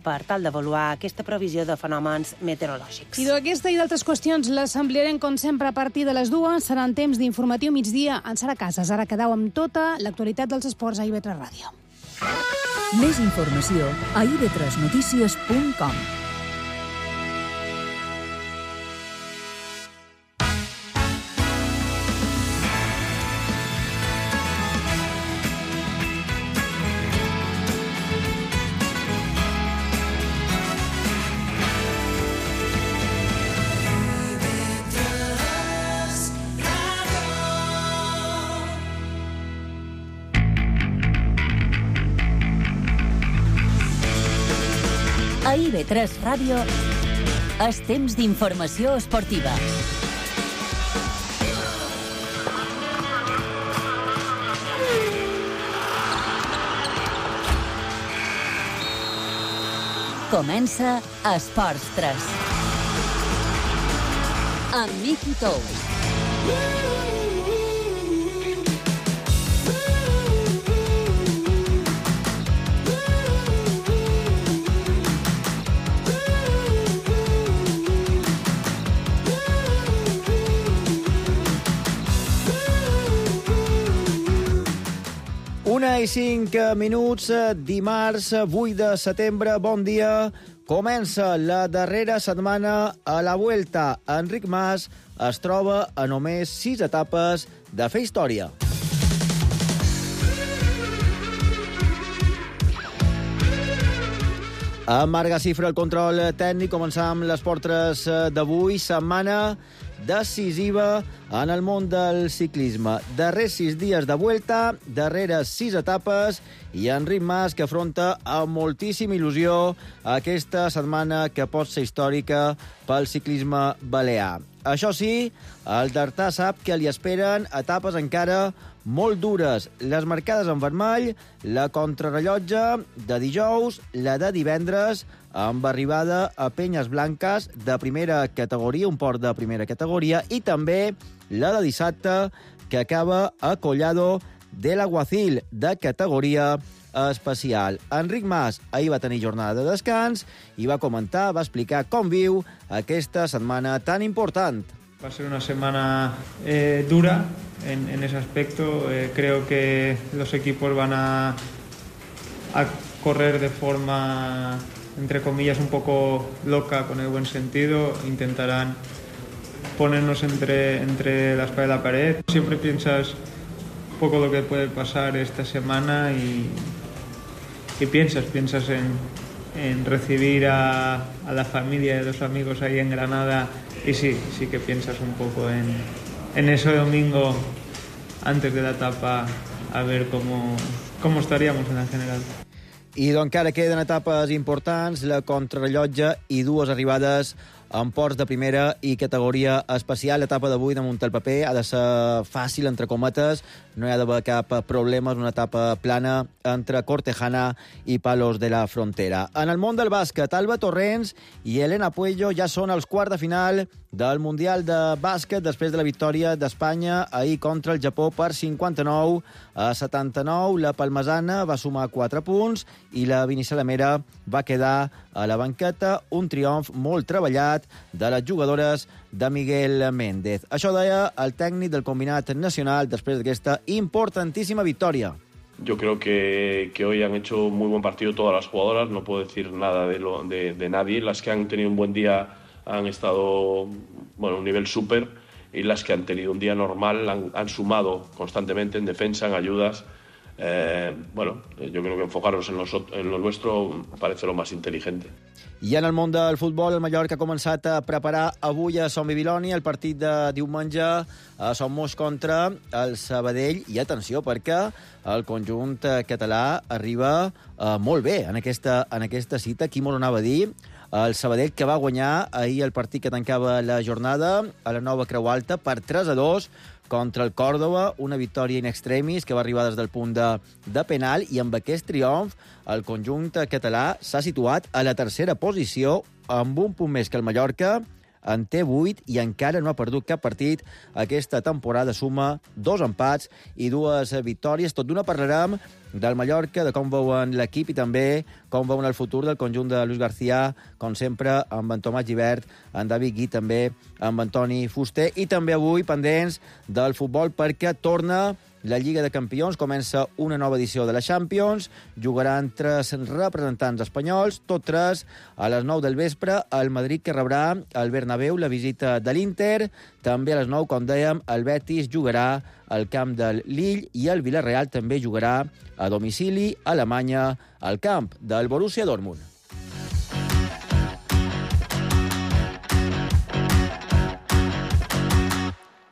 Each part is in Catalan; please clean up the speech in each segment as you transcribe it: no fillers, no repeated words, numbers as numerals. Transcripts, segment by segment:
per tal d'avaluar aquesta previsió de fenòmens meteorològics. I d'aquesta i d'altres qüestions les ampliarem, com sempre, a partir de les 2. Serà en temps d'informatiu migdia en Sara Casas. Ara quedeu amb tota l'actualitat dels esports a IB3 Ràdio. Més informació a ib3notícies.com. A IB3 Ràdio és temps d'informació esportiva. Comença Esports 3. Amb Miki Tous. Una i 5 minuts, dimarts 8 de setembre, bon dia. Comença la darrera setmana a la Vuelta. Enric Mas es troba a només 6 etapes de fer història. Amb Marc Gacifra, el control tècnic, començam les portres d'avui, setmana decisiva en el món del ciclisme. Darrers 6 dies de Vuelta, darreres 6 etapes, i Enric Mas, que afronta amb moltíssima il·lusió aquesta setmana que pot ser històrica pel ciclisme balear. Això sí, el Dartà sap que li esperen etapes encara molt dures. Les marcades en vermell, la contrarrellotge de dijous, la de divendres, amb arribada a Penyes Blanques de primera categoria, un port de primera categoria, i també la de dissabte, que acaba a Collado de l'Aguacil, de categoria especial. Enric Mas ahir va tenir jornada de descans i va comentar, va explicar com viu aquesta setmana tan important. Va a ser una semana dura en ese aspecto. Creo que los equipos van a correr de forma, entre comillas, un poco loca, con el buen sentido. Intentarán ponernos entre la espada y la pared. Siempre piensas un poco lo que puede pasar esta semana y piensas en recibir a la familia y a los amigos ahí en Granada. Y sí que piensas un poco en ese domingo antes de la etapa, a ver cómo estaríamos en la general. I encara queden etapes importants, la contrarrellotge i 2 arribades en ports de primera i categoria especial. L'etapa d'avui, damunt el paper, ha de ser fàcil, entre cometes. No hi ha d'haver cap problema. És una etapa plana entre Cortejana i Palos de la Frontera. En el món del bàsquet, Alba Torrents i Elena Puello ja són als quarts de final del Mundial de Bàsquet després de la victòria d'Espanya ahir contra el Japó per 59-79. La palmesana va sumar 4 punts i la Binissalamera va quedar a la banqueta. Un triomf molt treballat de les jugadores de Miguel Méndez. Això deia el tècnic del combinat nacional després d'aquesta importantíssima victòria. Yo creo que hoy han hecho muy buen partido todas las jugadoras, no puedo decir nada de nadie. Las que han tenido un buen día han estado a un nivel súper, y las que han tenido un día normal han sumado constantemente en defensa, en ayudas. Yo creo que enfocarnos en lo nuestro parece lo más inteligente. I en el món del futbol, el Mallorca ha començat a preparar avui a Sant Bibiloni el partit de diumenge a Son Moix contra el Sabadell. I atenció, perquè el conjunt català arriba molt bé en aquesta cita. Qui mos anava a dir? El Sabadell, que va guanyar ahir el partit que tancava la jornada a la Nova Creu Alta per 3-2 contra el Còrdova, una victòria in extremis que va arribar des del punt de penal, i amb aquest triomf el conjunt català s'ha situat a la tercera posició amb un punt més que el Mallorca en té 8 i encara no ha perdut cap partit. Aquesta temporada suma 2 empats i 2 victòries. Tot d'una parlarem del Mallorca, de com veuen l'equip i també com veuen el futur del conjunt de Luis García, com sempre, amb en Tomàs Gibert, en David Gui, també amb Antoni Fuster, i també avui pendents del futbol perquè torna la Lliga de Campions, comença una nova edició de la Champions, jugaran 3 representants espanyols, tot 3 a les 9 del vespre, el Madrid que rebrà al Bernabéu la visita de l'Inter, també a les 9, com dèiem, el Betis jugarà al camp del Lille i el Villarreal també jugarà a domicili a Alemanya al camp del Borussia Dortmund.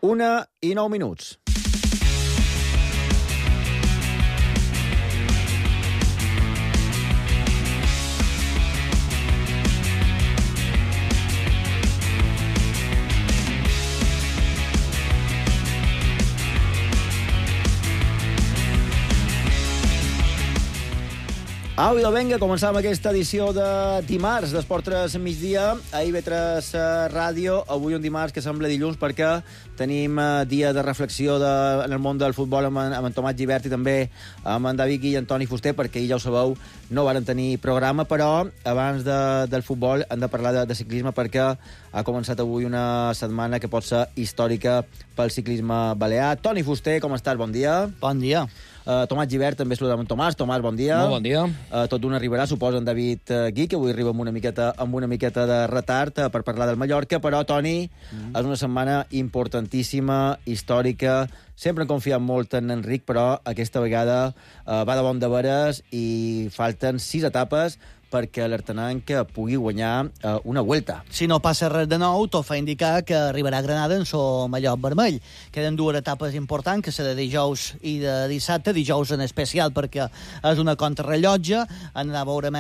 Una i 9 minuts. Au, idò, vinga, començàvem aquesta edició de dimarts d'Esport 3 migdia a IB3 Ràdio. Avui un dimarts que sembla dilluns perquè tenim dia de reflexió en el món del futbol amb en Tomàs Gibert i també amb en David Gui i Antoni Fuster, perquè ja ho sabeu, no varen tenir programa, però abans del futbol hem de parlar de ciclisme perquè ha començat avui una setmana que pot ser històrica pel ciclisme balear. Toni Fuster, com estàs? Bon dia. Bon dia. Tomàs Gibert, també saludem en Tomàs. Tomàs, bon dia. Molt bon dia. Tot d'una arribarà, suposa, en David Gui, que avui arriba amb una miqueta de retard per parlar del Mallorca, però, Toni, és una setmana importantíssima, històrica. Sempre hem confiat molt en Enric, però aquesta vegada va de bon de veres i falten 6 etapes perquè l'Artenanc pugui guanyar una Vuelta. Si no passa res de nou, tot fa indicar que arribarà a Granada en so mallot vermell. Queden 2 etapes importants, que serà de dijous i de dissabte. Dijous en especial perquè és una contrarrellotge. Veurem,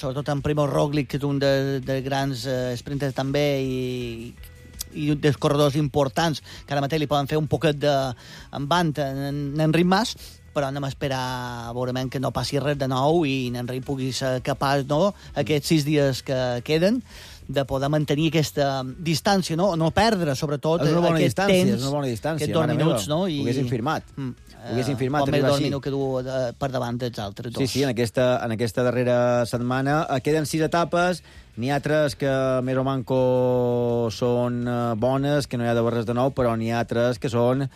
sobretot en Primož Roglič, que és un de grans sprinters també, i dels corredors importants, que ara mateix li poden fer un poquet d'embant en Enric Mas, però anem a esperar, veurem que no passi res de nou i Enric pugui ser capaç, no, aquests 6 dies que queden, de poder mantenir aquesta distància, no perdre, sobretot, aquest temps, és una bona distància, aquests 2 minuts, no? Ho haguessin firmat. Com més 2 minuts que du per davant dels altres 2. Sí, en aquesta darrera setmana queden 6 etapes. N'hi ha 3 que més o manco són bones, que no hi ha de res de nou, però n'hi ha 3 que són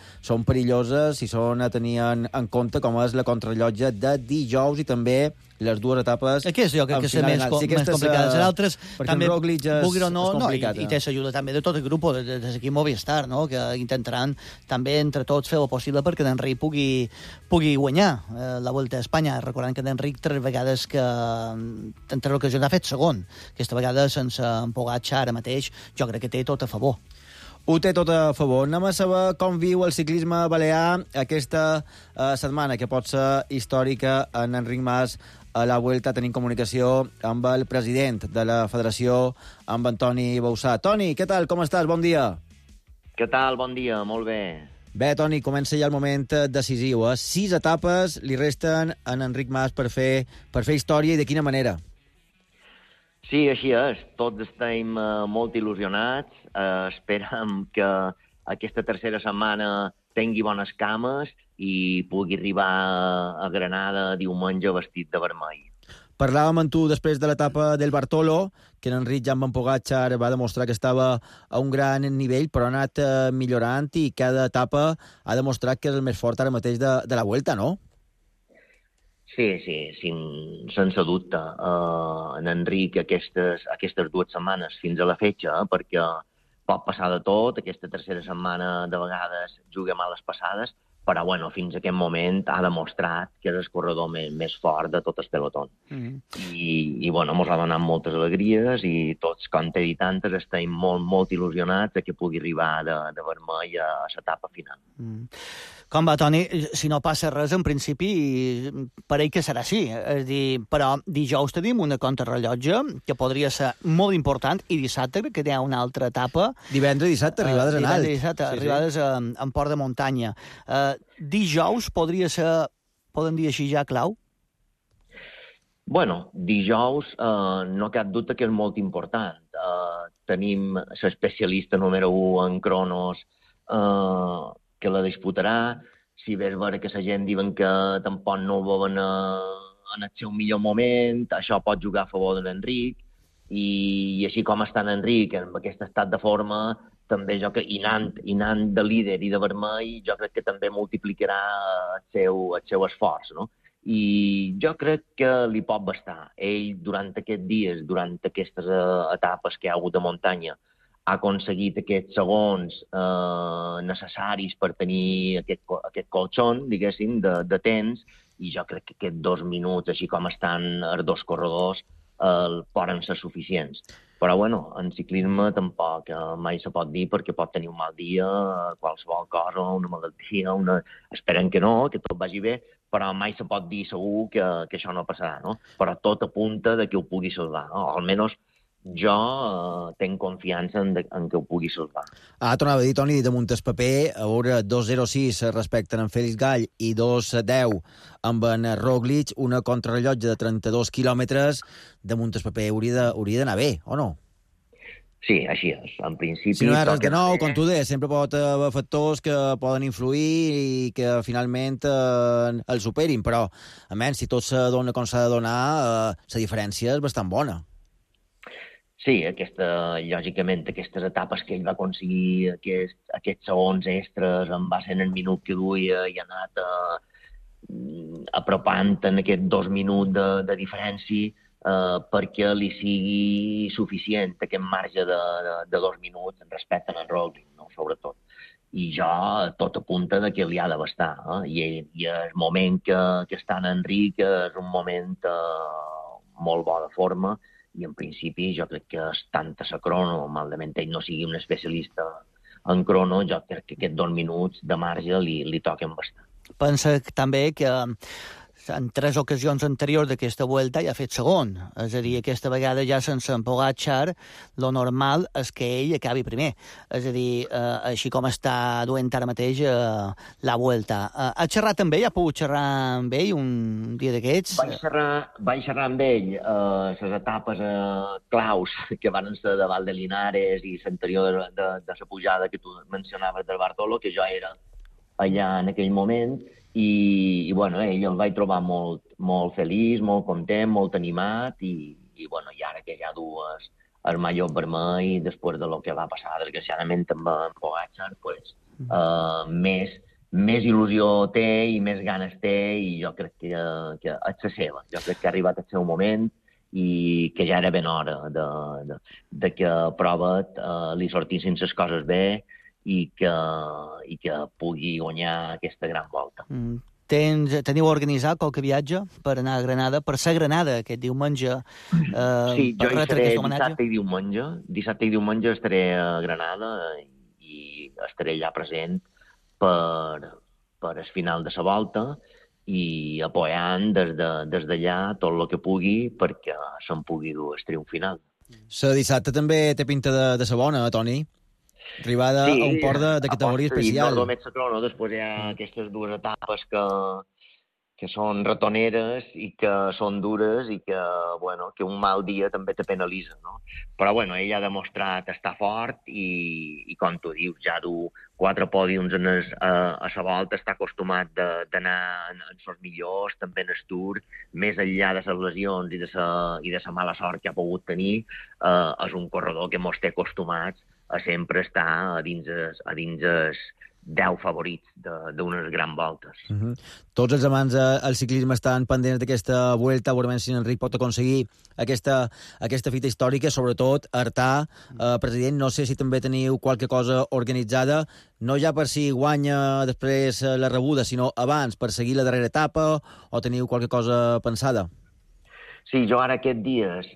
perilloses i són a tenir en compte, com és la contrarrellotge de dijous i també les 2 etapes... Aquest jo crec que és més complicat. Les altres també, vulguin o no, és complicat. I té l'ajuda també de tot el grup, de l'equip Movistar, no? Que intentaran també entre tots fer el possible perquè l'Enric pugui guanyar la Volta a Espanya. Recordant que l'Enric 3 vegades que en 3 ocasions ha fet segon. Aquesta vegada sense en Pogačar ara mateix, jo crec que té tot a favor. Ho té tot a favor. Anem a saber com viu el ciclisme balear aquesta setmana, que pot ser històrica en Enric Mas a la Vuelta. Tenim comunicació amb el president de la federació, amb Antoni Bausà. Toni, què tal? Com estàs? Bon dia. Què tal? Bon dia, molt bé. Bé, Toni, comença ja el moment decisiu. 6 etapes li resten a Enric Mas per fer història, i de quina manera? Sí, així és. Tots estem molt il·lusionats. Esperem que aquesta tercera setmana tingui bones cames i pugui arribar a Granada diumenge vestit de vermell. Parlàvem amb tu després de l'etapa del Bartolo, que Enric ja amb en Pogačar va demostrar que estava a un gran nivell, però ha anat millorant i cada etapa ha demostrat que és el més fort ara mateix de la Vuelta, no? Sí, sense dubte. En Enric aquestes 2 setmanes fins a la fetge, perquè pot passar de tot, aquesta tercera setmana de vegades juga males passades, però fins a aquest moment ha demostrat que és el corredor més fort de tot el pelotó. I mos ha donat moltes alegries i tots, com t'he dit antes, estem molt il·lusionats que pugui arribar de vermell a l'etapa final. Com va, Toni? Si no passa res, en principi, pareix que serà així. És dir, però dijous tenim una contrarrellotge que podria ser molt important, i dissabte que hi ha una altra etapa. Divendres i dissabte, arribades en alt. Arribades en port de muntanya. Dijous podria ser, podem dir així ja, clau? Dijous no cap dubte que és molt important. tenim l'especialista número 1 en cronos que la disputarà. Si bé és vera que la gent diuen que tampoc no ho veuen en el seu millor moment, això pot jugar a favor de l'Enric, i així com està l'Enric en aquest estat de forma, també jo que i anant de líder i de vermell, jo crec que també multiplicarà el seu esforç, no? I jo crec que li pot bastar. Ell, durant aquests dies, durant aquestes etapes que hi ha hagut de muntanya, ha aconseguit aquests segons necessaris per tenir aquest colxon, diguéssim, de temps, i jo crec que aquests 2 minuts, així com estan els 2 corredors, poden ser suficients. Però, bueno, en ciclisme tampoc mai se pot dir, perquè pot tenir un mal dia, qualsevol cosa, una malaltia, Esperem que no, que tot vagi bé, però mai se pot dir segur que això no passarà, no? Però tot apunta que ho pugui salvar, no? Almenys jo tinc confiança en que ho pugui salvar. Tornava a dir, Toni, damunt el paper, a veure, 2.06 respecte a en Félix Gall i 2.10 amb en Roglic, una contrarrellotge de 32 quilòmetres, damunt el paper hauria d'anar bé, o no? Sí, així és. En principi... Si no hi ha res de nou, com tu deies, sempre pot haver factors que poden influir i que finalment el superin, però, almenys, si tot se dona com s'ha de donar, la diferència és bastant bona. Sí, lògicament, aquestes etapes que ell va aconseguir, aquests segons extras, en va ser en el minut que duia i ha anat apropant en aquests 2 minuts de diferència perquè li sigui suficient aquest marge de 2 minuts respecte al Roglic, no? Sobretot. I jo, tot apunta que li ha de bastar. I el moment que està en Enric és un moment molt bo de forma, i en principi jo crec que tant a la crono, malament ell no sigui un especialista en crono, jo crec que aquests 2 minuts de marge li toquen bastant. Pensa també que en 3 ocasions anteriors d'aquesta Vuelta ja ha fet segon. És a dir, aquesta vegada ja sense en Pogačar, lo normal és que ell acabi primer. És a dir, així com està duent ara mateix la Vuelta. Ha xerrat amb ell? Ha pogut xerrar amb ell un dia d'aquests? Vaig xerrar amb ell les etapes claus que van ser davant de Linares i l'anterior de la pujada que tu mencionaves del Bartolo, que jo era allà en aquell moment, i bueno, ell el vaig trobar molt feliç, molt content, molt animat, i bueno, i ara que ja dues el mallot vermell, després de lo que va passar, desgraciadament, amb en Pogačar, pues, més il·lusió té i més ganes té, i jo crec que és la seva. Jo crec que ha arribat el seu moment i que ja era ben hora de que a prova li sortissin les coses bé, i que pugui guanyar aquesta gran volta. Teniu organitzat qualque viatge per anar a Granada, per ser a Granada aquest diumenge? Sí, jo hi seré dissabte i diumenge. Dissabte i diumenge estaré a Granada i estaré allà present per el final de la volta i apoyant des d'allà tot el que pugui perquè se'n pugui dur el triomf final. La dissabte també té pinta de ser bona, Toni? Arribada a un port de categoria especial. Sí, només la crono, després hi ha aquestes 2 etapes que són ratoneres i que són dures i que, bueno, que un mal dia també te penalitza, no? Però, bueno, ell ha demostrat estar fort i com tu dius, ja du 4 pòdiums a la volta, està acostumat d'anar en els millors, també en el Tour, més enllà de les lesions i de la mala sort que ha pogut tenir, és un corredor que mos té acostumats a sempre estar a dins els 10 favorits d'unes grans voltes. Tots els amants del ciclisme estan pendents d'aquesta Vuelta, veurem si Enric pot aconseguir aquesta fita històrica, sobretot Artà, president, no sé si també teniu qualque cosa organitzada, no ja per si guanya després la rebuda, sinó abans, per seguir la darrera etapa, o teniu qualque cosa pensada? Sí, jo ara aquests dies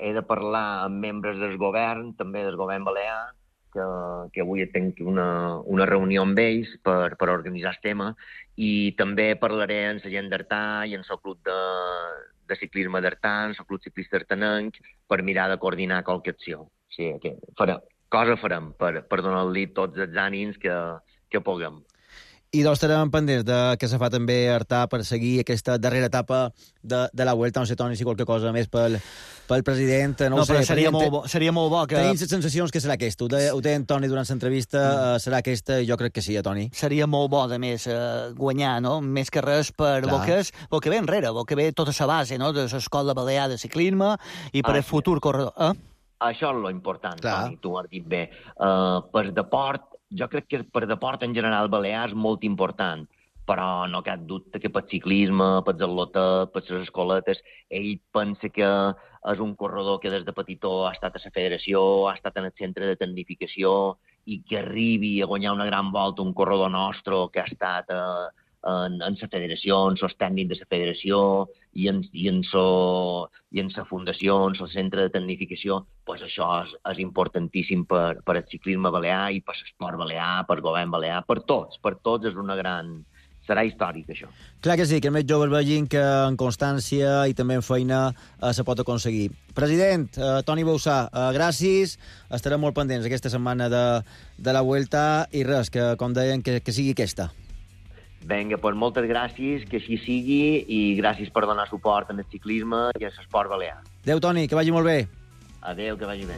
he de parlar amb membres del govern, també del govern balear, que avui tinc una reunió amb ells per organitzar el tema, i també parlaré amb la gent d'Artà i amb el club de ciclisme d'Artà, amb el club ciclista artanenc, per mirar de coordinar qualque acció. Sí, cosa farem per donar-li tots els ànims que puguem. I doncs estarem pendents de què se fa també Artà per seguir aquesta darrera etapa de la Vuelta. No sé, Toni, si qualque cosa més pel president. No ho sé, seria molt bo que... Tenim les sensacions que serà aquesta. Ho té en Toni durant l'entrevista, serà aquesta, i jo crec que sí, Toni. Seria molt bo, de més, guanyar, no? Més que res per el que ve enrere, el que ve tota la base, no? De l'escola balear de ciclisme i per el futur corredor. Això és lo important, Toni, tu ho has dit bé. Per deport, jo crec que per deport en general balear és molt important, però no cap dubte que per ciclisme, per atletes, per les escoletes, ell pensa que és un corredor que des de petitó ha estat a la federació, ha estat en el centre de tecnificació, i que arribi a guanyar una gran volta un corredor nostre que ha estat en la federació, en els tècnics de la federació i en la fundació, en el centre de tecnificació, pues això és importantíssim per el ciclisme balear i per l'esport balear, per el govern balear, per tots és una gran... Serà històric, això. Clar que sí, que els més joves vegin que en constància i també en feina se pot aconseguir. President, Toni Bausà, gràcies. Estarem molt pendents aquesta setmana de la Vuelta i res, que com deien, que sigui aquesta. Vinga, doncs moltes gràcies, que així sigui, i gràcies per donar suport al ciclisme i a l'esport balear. Adéu, Toni, que vagi molt bé. Adéu, que vagi bé.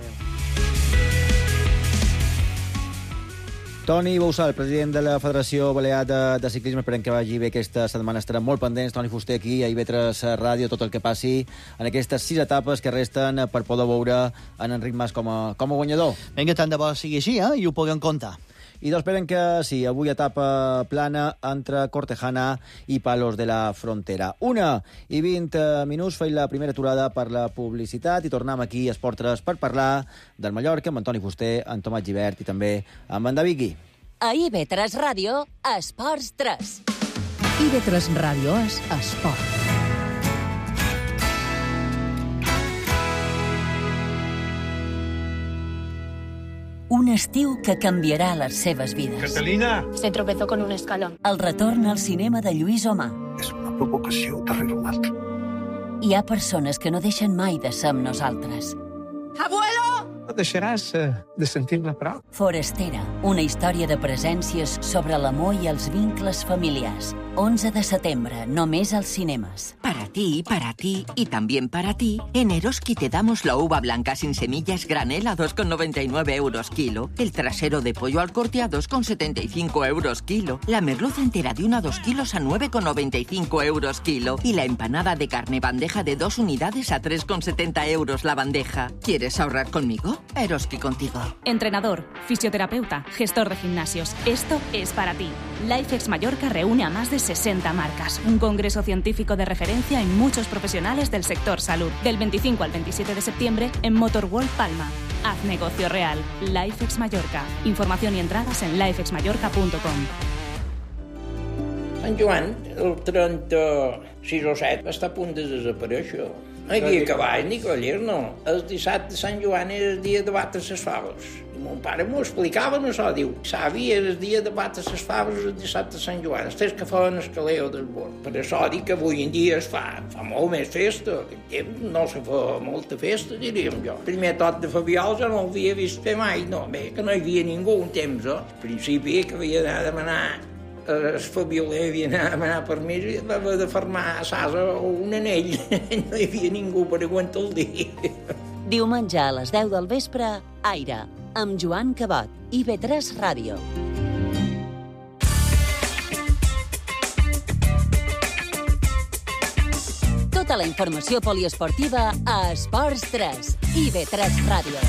Toni Bausà, el president de la Federació Balear de Ciclisme, esperem que vagi bé aquesta setmana. Estarem molt pendents, Toni Fuster, aquí a IB3 Ràdio, tot el que passi en aquestes 6 etapes que resten per poder veure en Enric Mas com a guanyador. Vinga, tant de bo sigui així, i ho puguem comptar. I doncs esperen que sí, avui etapa plana entre Cortejana i Palos de la Frontera. 1:20 minuts, feim la primera aturada per la publicitat i tornem aquí a Esport 3 per parlar del Mallorca amb Antoni Fuster, en Tomàs Gibert i també amb en David Gui. A IB3 Ràdio, Esports 3. IB3 Ràdio és esport. Un estiu que canviarà les seves vides. Catalina! Se tropezó con un escalón. El retorn al cinema de Lluís Omar. És una provocació darrere una altra. Hi ha persones que no deixen mai de ser amb nosaltres. ¡Abuelo! No deixaràs de sentir-me prou. Forastera, una història de presències sobre l'amor i els vincles familiars. 11 de setembre, només als cinemes. Para ti y también para ti, en Eroski te damos la uva blanca sin semillas granel a 2,99 euros kilo, el trasero de pollo al corte a 2,75 euros kilo, la merluza entera de 1 a 2 kilos a 9,95 euros kilo y la empanada de carne bandeja de 2 unidades a 3,70 euros la bandeja. ¿Quieres ahorrar conmigo? Eroski contigo. Entrenador, fisioterapeuta, gestor de gimnasios. Esto es para ti. LifeX Mallorca reúne a más de 60 marcas. Un congreso científico de referencia en muchos profesionales del sector salud. Del 25 al 27 de septiembre en Motorworld Palma. Haz negocio real. LifeX Mallorca. Información y entradas en lifexmallorca.com. Sant Joan, el 36 o 7, està a punt de desaparèixer. No hi havia cavall ni cavallers, no. El dissabte de Sant Joan era el dia de batre les faves. I mon pare m'ho explicava, no això, diu, savi, era el dia de batre les faves el dissabte de Sant Joan, els tres que feien el caleo del bord. Per això dic que avui en dia es fa molt més festa. No se fa molta festa, diríem jo. Primer tot de Fabiol jo no l'havia vist fer mai, no, bé, que no hi havia ningú un temps, Al principi que havia d'anar a demanar el Fabioler havia d'anar a demanar permís i havia de fermar a Sasa un anell. No hi havia ningú per aguantar el dia. Diumenge a les 10 del vespre, Aire, amb Joan Cabot, IB3 Ràdio. Tota la informació poliesportiva a Esports 3, IB3 Ràdio.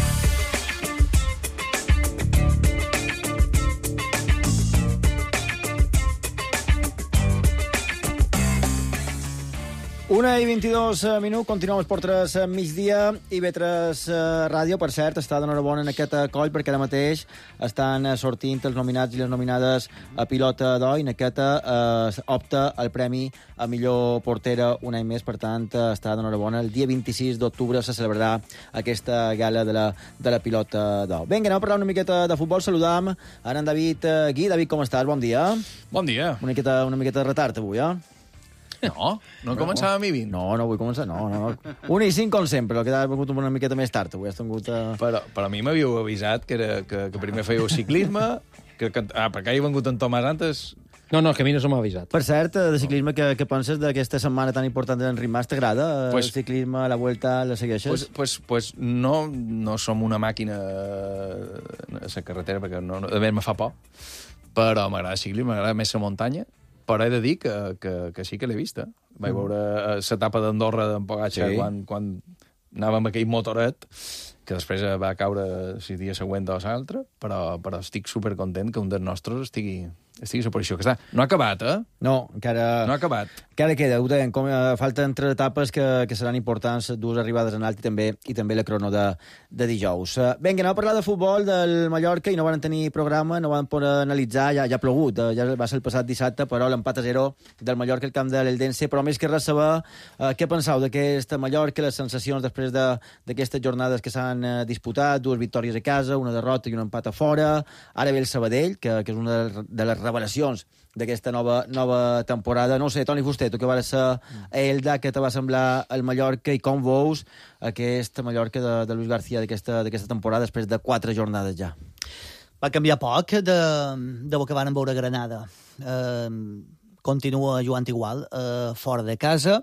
Una i 22 minuts, continuem Esport 3 migdia, IB3 Ràdio, per cert, està d'enhorabona en aquest coll, perquè ara mateix estan sortint els nominats i les nominades a pilota d'or, i en aquesta opta el premi a millor portera un any més, per tant, està d'enhorabona. El dia 26 d'octubre se celebrarà aquesta gala de la pilota d'or. Vinga, anem a parlar una miqueta de futbol. Saludam ara en David Gui. David, com estàs? Bon dia. Bon dia. Una miqueta de retard avui, No començàvem a 20. No vull començar, no. 1 i 5 com sempre, el que ha vingut una miqueta més tard. Avui has tingut... Però a mi m'havíeu avisat que primer fèieu ciclisme, perquè he vingut en Tomàs antes, No, que a mi no se m'ha avisat. Per cert, de ciclisme, què penses d'aquesta setmana tan important d'Enric Mas? T'agrada el ciclisme, la Vuelta, la segueixes? Pues no som una màquina a la carretera, perquè a més me fa por, però m'agrada el ciclisme, m'agrada més la muntanya, però he de dir que sí que l'he vista. Vaig veure l'etapa d'Andorra d'en Pogačar quan anàvem amb aquell motoret, que després va caure el dia següent o l'altre, però estic supercontent que un dels nostres estigui a la posició que està. No ha acabat, eh? No, encara... No ha acabat. Encara queda, ho deien, falten 3 etapes que seran importants, 2 arribades en alt i també la crono de dijous. Vinga, anem a parlar de futbol del Mallorca i no van tenir programa, no van poder analitzar, ja ha plogut, ja va ser el passat dissabte, però l'empat a 0 del Mallorca al camp de l'Eldense, però més que res saber què penseu d'aquesta Mallorca, les sensacions després d'aquestes jornades que s'han disputat, 2 victòries a casa, una derrota i un empat a fora, ara ve el Sabadell, que és una de les revelacions d'aquesta nova temporada. No sé, Toni Fuster, tu que vas ser a Elda, què te va semblar el Mallorca i com veus aquesta Mallorca de Luis García d'aquesta temporada després de 4 jornades ja? Va canviar poc de que van veure Granada. Continua jugant igual, fora de casa.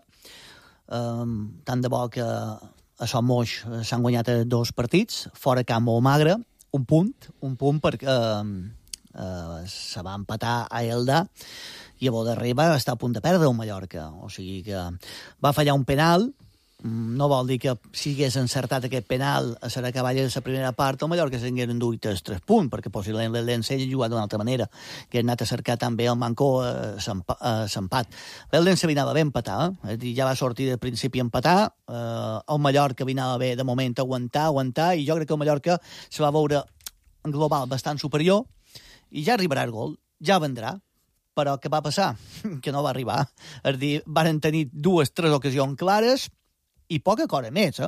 Tant de bo que a Son Moix s'han guanyat 2 partits, fora camp molt magre, un punt perquè se va empatar a Elda i a darrere va estar a punt de perdre el Mallorca. O sigui que va fallar un penal. No vol dir que si hagués encertat aquest penal a la cavalla de la primera part, el Mallorca s'hagués enduit els 3 punts, perquè possiblement l'Eldense ha jugat d'una altra manera, que ha anat a cercar també el Mancó s'empat. L'Eldense anava bé empatar, ja va sortir de principi a empatar, el Mallorca anava bé de moment aguantar, i jo crec que el Mallorca se va veure en global bastant superior, i ja arribarà el gol, ja vendrà, però què va passar? Que no va arribar. És a dir, van tenir 2-3 ocasions clares i poca cosa més,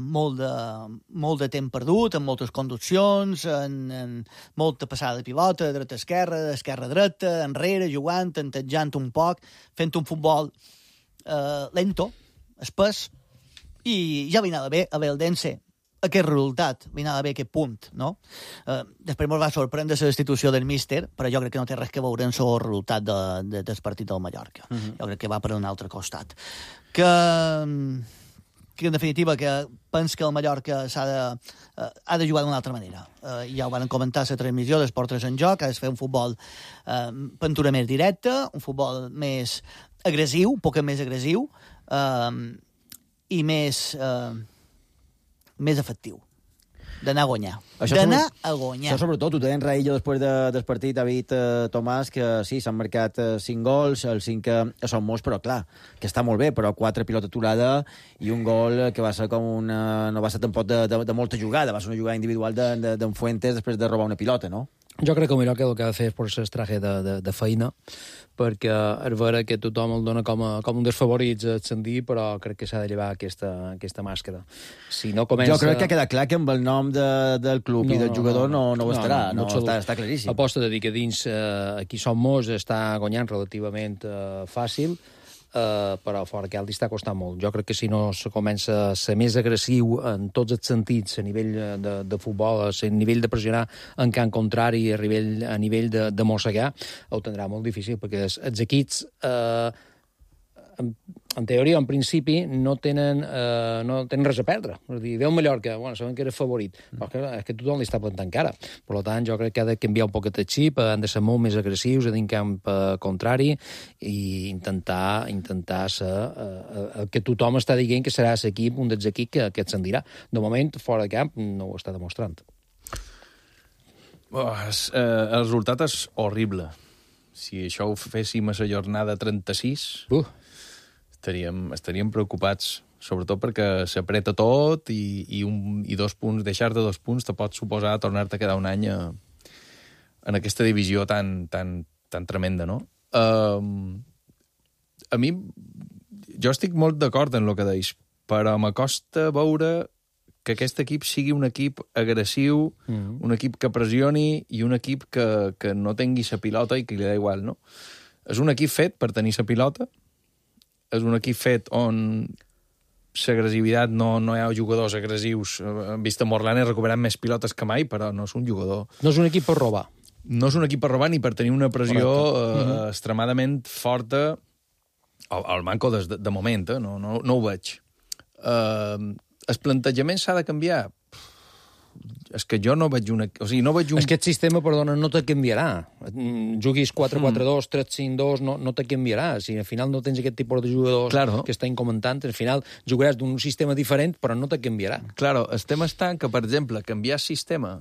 molt de temps perdut, amb moltes conduccions, en molta passada de pilota, dreta-esquerra, esquerra-dreta, enrere, jugant, tentejant un poc, fent un futbol lento, espès, i ja anava bé a l'Eldense aquest resultat, anava bé aquest punt, no? Després ens va sorprendre la destitució del míster, però jo crec que no té res que veure amb el resultat del partit del Mallorca. Jo crec que va per un altre costat. Que en definitiva, que penso que el Mallorca ha de jugar d'una altra manera. Ja ho van comentar a la transmissió d'Esport 3 en Joc, ha de fer un futbol pintura més directa, un futbol més agressiu, un poc més agressiu, i més efectiu, d'anar a guanyar. Això sobretot, ho deien Raillo després del partit, ha dit Tomàs, que sí, s'han marcat 5 gols, el 5 són molts, però clar, que està molt bé, però 4 pilota aturada i un gol que va ser no va ser tampoc de molta jugada, va ser una jugada individual d'en Fuentes després de robar una pilota, no? Jo crec que el Mallorca el que ha de fer és posar l'estraje de feina, perquè és vera que tothom el dona com un dels favorits a ascendir, però crec que s'ha de llevar aquesta màscara. Si no comença... Jo crec que queda clar que amb el nom del club i del jugador no ho estarà, està claríssim. Aposta de dir que dins aquí Som Moix està guanyant relativament fàcil, però fora que li està costant molt. Jo crec que si no se comença a ser més agressiu en tots els sentits, a nivell de futbol, a nivell de pressionar en camp contrari, a nivell de mossegar, ho tindrà molt difícil, perquè els equips, en teoria, en principi, no tenen res a perdre. És a dir, ve un Mallorca, sabem que era favorit, però és que tothom li està plantant cara. Per tant, jo crec que ha de canviar un poquet el xip, han de ser molt més agressius, a dins camp contrari, i intentar ser que tothom està dient que serà l'equip, un dels equips que ascendirà. De moment, fora de camp, no ho està demostrant. El resultat és horrible. Si això ho féssim a la jornada 36... estaríem preocupats, sobretot perquè s'apreta tot i 2 punts, deixar-te 2 punts te pot suposar tornar-te a quedar un any en aquesta divisió tan tremenda, no? A mi, jo estic molt d'acord en el que deis, però m'acosta veure que aquest equip sigui un equip agressiu, un equip que pressioni i un equip que no tingui la pilota i que li da igual, no? És un equip fet per tenir la pilota, és un equip fet on l'agressivitat no hi ha jugadors agressius. Hem vist a Morlanes recuperant més pilotes que mai, però no és un jugador... No és un equip per robar. no és un equip per robar ni per tenir una pressió extremadament forta al Manco de moment, no ho veig. El plantejament s'ha de canviar? És que jo no veig una... O sigui, no veig un... És que aquest sistema, perdona, no te canviarà. Juguis 4-4-2, 3-5-2, no te canviarà. Si al final no tens aquest tipus de jugadors que estan comentant, al final jugaràs d'un sistema diferent, però no te canviarà. Claro, el tema està que, per exemple, canviar sistema...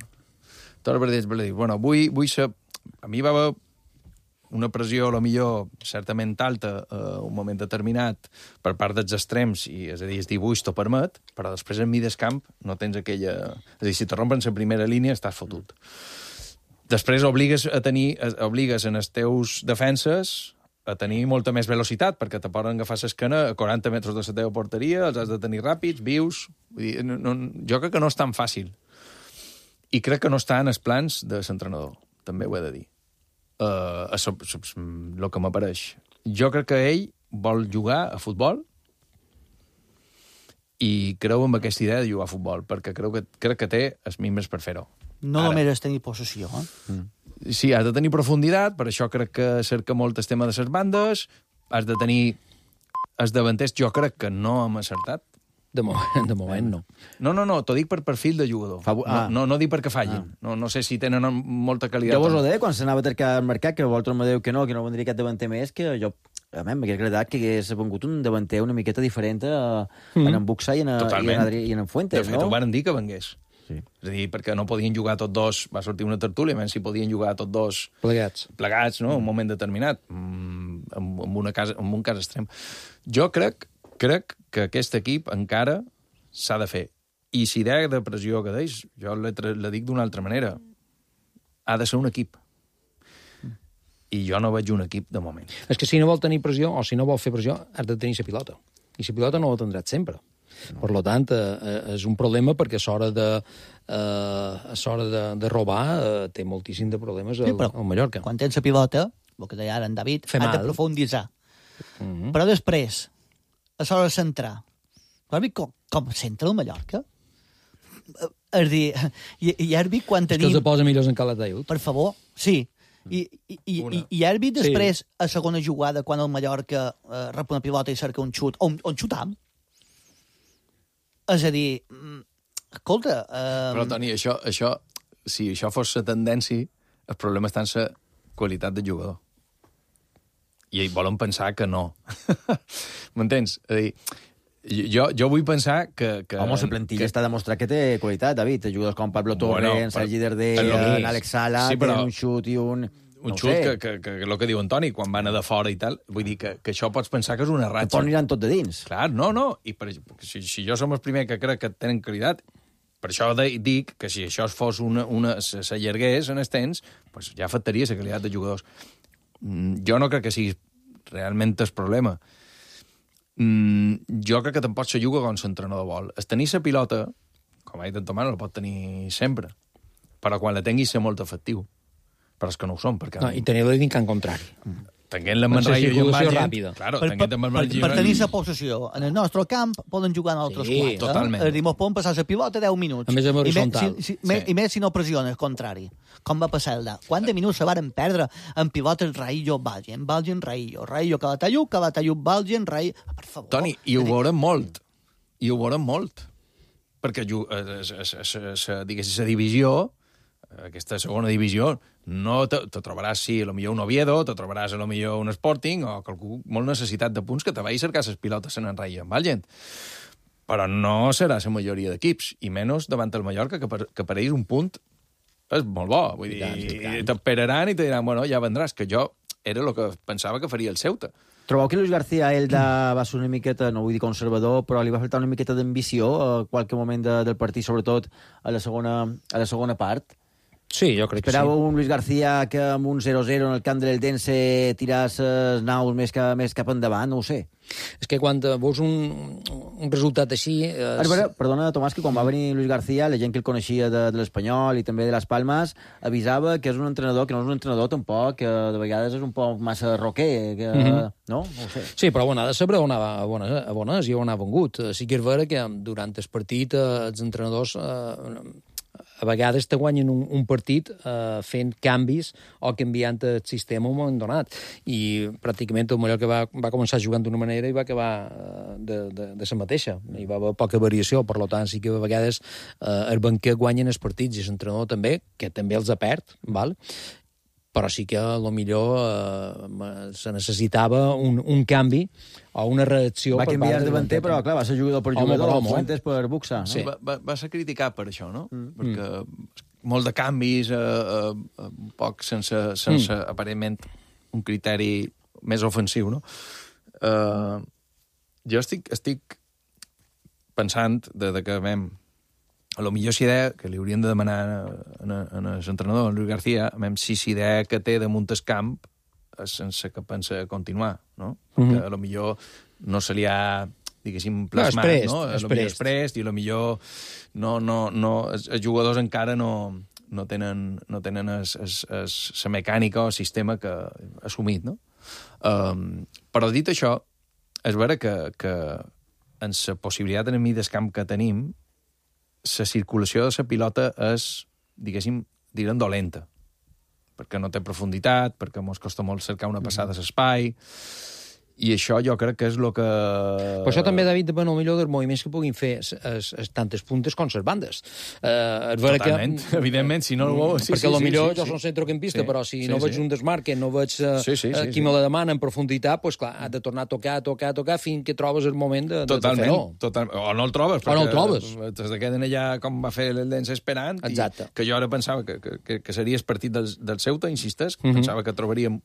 Tot per dir, bueno, vull ser... A mi va haver una pressió, a lo millor, certament alta un moment determinat per part dels extrems, és a dir, el dibuix t'ho permet, però després en mig del camp no tens aquella... És a dir, si te rompen la primera línia, estàs fotut. Després obligues en els teus defenses a tenir molta més velocitat, perquè te poden agafar l'esquena a 40 metres de la teva porteria, els has de tenir ràpids, vius... Vull dir, jo crec que no és tan fàcil. I crec que no està en els plans de l'entrenador, també ho he de dir. El que m'apareix. Jo crec que ell vol jugar a futbol i creu en aquesta idea de jugar a futbol, perquè crec que té els mimbres per fer-ho. No només és tenir possessió, Sí, has de tenir profunditat, per això crec que cerca molt el tema de les bandes, has de tenir els davanters, jo crec que no hem acertat. De moment no. No, t'ho dic per perfil de jugador. No dic perquè fallin. No sé si tenen molta qualitat. Jo vos ho deia quan s'anava a cercar al mercat, que vosaltres me dieu que no vendria aquest davanter més, que jo m'hauria agradat que hagués vengut un davanter una miqueta diferent en en Buxa i en Fuentes, no? De fet, ho van dir que vengués. Sí. És a dir, perquè no podien jugar tots dos, va sortir una tertúlia, menys si podien jugar tots dos plegats, no? Un moment determinat, en un cas extrem. Jo crec que aquest equip encara s'ha de fer. I si idea de pressió que deix, jo la dic d'una altra manera. Ha de ser un equip. I jo no veig un equip de moment. És que si no vol tenir pressió, o si no vol fer pressió, has de tenir la pilota. I la pilota no la tindràs sempre. No. Per tant, és un problema perquè a l'hora de robar té moltíssim de problemes al Mallorca. Quan tens la pilota, el que deia ara en David, has de profunditzar. Però després, a l'hora de centrar, has vist com centra el Mallorca? És dir, i has vist quan tenim... És que els posa millors en Calataiud. Per favor, sí. I has vist després, a segona jugada, quan el Mallorca rep una pilota i cerca un xut, on xutam? És a dir, escolta... Però, Toni, això, si això fos la tendència, el problema està en la qualitat de jugador. I volen pensar que no. M'entens? És a dir, jo vull pensar que... Home, la plantilla està demostrat que té qualitat, David. Jugadors com Pablo Torre, Sergi Darder, Alex Sala, tenen un xut i un... Un xut que el que diu Antoni, quan van a de fora i tal, vull dir que això pots pensar que és una ratxa. Que aniran tot de dins. Clar, no. I si jo som el primer que crec que tenen qualitat, per això dic que si això fos s'allargués en els temps, pues ja afectaria la qualitat de jugadors. Jo no crec que sigui realment el problema. Jo crec que tampoc se juga com l'entrenador vol. Es tenir la pilota, com ha dit en Tomàs, la pot tenir sempre, però quan la tinguis ser molt efectiu. Però és que no ho són. No, i tenir-la dins en contrari. Tenint-la amb Manraiyo i amb Valgent... Claro, per tenir la possessió en el nostre camp poden jugar en altres quatre. Totalment. És a dir, mos poden passar la pilota 10 minuts. A més amb horitzontal. I més si no pressiona, al contrari. Com va passar el de... Quants minuts se varen perdre en pilotes Raillo-Valgent, Raillo Calataiud, Valgent, Raillo... Per favor. Toni, i ho veurem molt. Perquè la divisió, aquesta segona divisió, no te trobaràs, sí, potser un Oviedo, te trobaràs potser un Sporting o qualcú molt necessitat de punts que te vagi a cercar les pilotes en Raillo amb Valgent. Però no serà la majoria d'equips, i menys davant el Mallorca, que per ells un punt és molt bo. Vull dir, t'esperaran i te diran, bueno, ja vendràs, que jo era el que pensava que faria el Ceuta. Trobeu que Luis García Elda va ser una miqueta, no vull dir conservador, però li va faltar una miqueta d'ambició a qualque moment del partit, sobretot a la segona part? Sí, jo crec que sí. Esperava un Luis García que amb un 0-0 en el camp del Dense tiràs els naus més cap endavant, no ho sé. És que quan veus un resultat així... Perdona, Tomàs, que quan va venir Luis García, la gent que el coneixia de l'Espanyol i també de les Palmes, avisava que és un entrenador que no és un entrenador tampoc, que de vegades és un poc massa roquer, que... no? No ho sé. Sí, però ha de saber on anava a bones i on ha vengut. Sí que és vera que durant el partit els entrenadors... a vegades te guanyen un partit fent canvis o canviant el sistema en un moment donat. I pràcticament el Mallorca va començar jugant d'una manera i va acabar de la mateixa. Hi va haver poca variació, per tant, sí que a vegades el banquer guanyen els partits i l'entrenador també, que també els perd, val? Però sí que potser se necessitava un canvi o una reacció va per part canviar de davanter, però clar, va ser jugador per jugador, Fuentes per boxar. No? Sí. Va ser criticat per això, no? Perquè molt de canvis, poc sense aparentment un criteri més ofensiu, no? Jo estic pensant que vam... A lo millor si idea que li haurien de demanar a l'entrenador, en Luis García, si idea que té damunt el camp és sense que pensa continuar, no? Que a lo millor no se li ha, diguéssim, plasmat, no? A lo millor és prest i a lo millor els jugadors encara no tenen la mecànica o el sistema que assumit, no? Però dit això, és vera que en la possibilitat en mi del camp que tenim, la circulació de la pilota és, diguéssim, direm dolenta, perquè no té profunditat, perquè ens costa molt cercar una passada a l'espai, i això jo crec que és el que... Però això també, David, depèn millor dels moviments que puguin fer tant les puntes com les bandes. Totalment, evidentment, si no... Perquè potser jo soc centrocampista, però si no veig un desmarque, no veig qui me la demana en profunditat, doncs clar, has de tornar a tocar, fins que trobes el moment de fer-ho. Totalment, o no el trobes. O no el trobes. Des de queden allà, com va fer el Lens esperant, que jo ara pensava que seria el partit del Ceuta, insisteix, pensava que trobaríem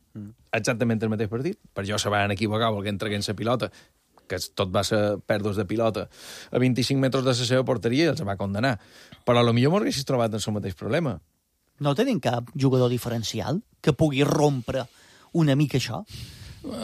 exactament el mateix partit, per jo se van equivocar volent traguent la pilota, que tot va ser pèrdues de pilota a 25 metres de la seva porteria i els va condenar. Però potser m'ho haguessis trobat en el mateix problema. No tenim cap jugador diferencial que pugui rompre una mica això?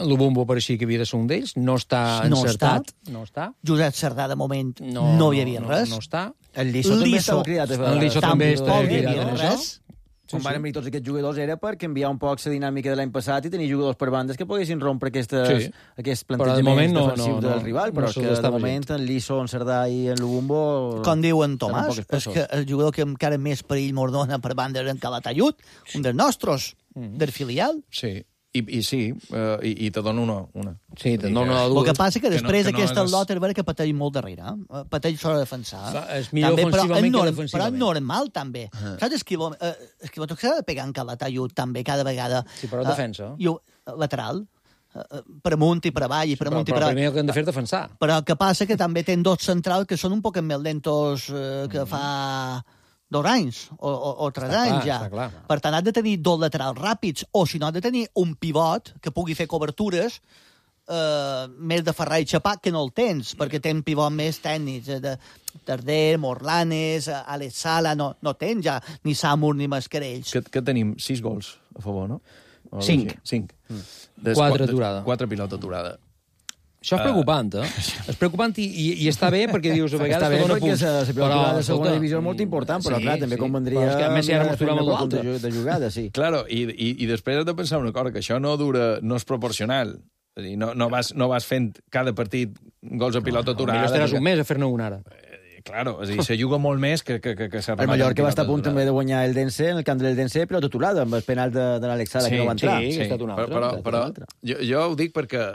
Lubumbo pareixia que havia de ser un d'ells, no està encertat. No està. Josep Cerdà, de moment, no hi havia res. No està. El Liso també estava cridat. El Liso també estava cridat en això. Com van venir tots aquests jugadors era per canviar un poc la dinàmica de l'any passat i tenir jugadors per bandes que poguessin rompre aquests plantejaments defensius del rival, però que de moment en Liso, en Cerdà i en Lubumbo... Com diu en Tomàs, és que el jugador que encara més perill mos dona per banda és en Calatayud, un dels nostres, del filial. Sí. I sí, i te dono una. Sí, te dono una. El que passa que després aquesta lot és vera que pateix molt darrere. Pateix s'ha de defensar. És millor ofensivament que defensivament. Però és normal, també. Saps Esquiló que s'ha de pegar en Calatayud, també, cada vegada. Sí, però defensa. Lateral. Per amunt i per avall. Però primer el que han de fer és defensar. Però el que passa que també ten dos centrals que són un poc més lentos que fa 2 anys o 3 anys ja. Per tant, has de tenir 2 laterals ràpids, o si no, has de tenir un pivot que pugui fer cobertures més de Ferrar i Chapà, que no el tens, perquè tens pivots més tècnics, de Tarder, Morlanes, Alex Sala, no tens ja ni Samur ni Mascarells. Que tenim 6 gols a favor, no? 5. 4 aturada. 4 pilota aturada. Això és preocupant, És preocupant i està bé perquè dius a vegades... Està bé perquè la pilota de segona divisió és molt important, però clar, també convendria... A més, ja mostrem amb l'altre. De jugada, sí. Claro, i després has de pensar una cosa, que això no és proporcional. És a dir, no vas fent cada partit gols a pilota aturada. Millor estaràs un mes a fer-ne un ara. Claro, és a dir, se juga molt més que s'ha el Mallorca va estar a punt també de guanyar el Dense, en el camp del Dense, però aturada, amb el penal de l'Alex Sala, que no va entrar. Sí, ha estat un altre. Però jo ho dic perquè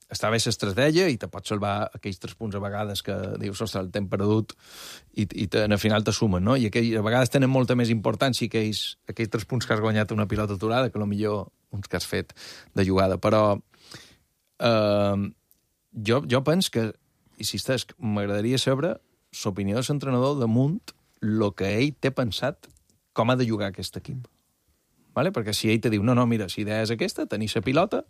està bé l'estratègia i te pots salvar aquells 3 punts a vegades que dius, ostres, el temps perdut i al final te sumen, no? I a vegades tenen molta més importància aquells 3 punts que has guanyat una pilota aturada que millor uns que has fet de jugada. Però jo penso que, insisteix, m'agradaria saber l'opinió de l'entrenador damunt el que ell té pensat com ha de jugar aquest equip. Vale? Perquè si ell te diu, no, mira, si idea és aquesta, tenir la pilota,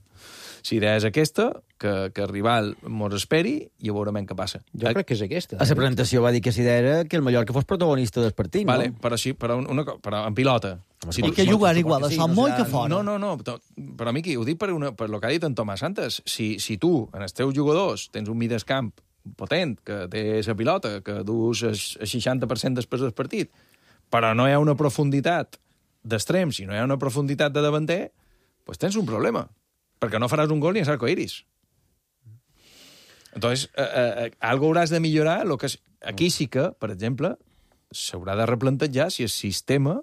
si idea és aquesta, que el rival mos esperi i veurem què passa. Jo crec que és aquesta. A la presentació va dir que si idea era que el Mallorca fos protagonista del partit, no? Vale, però sí, però en pilota. Si que jugar igual, això molt que fora. No, però Miqui, ho dic per el que ha dit en Tomàs Santos. Si tu, en els teus jugadors, tens un migcamp potent, que té la pilota, que dus el 60% després del partit, però no hi ha una profunditat d'extrem, si no hi ha una profunditat de davanter, doncs tens un problema, perquè no faràs un gol ni a l'arcoiris. Entonces, algo hauràs de millorar. Aquí sí que, per exemple, s'haurà de replantejar si el sistema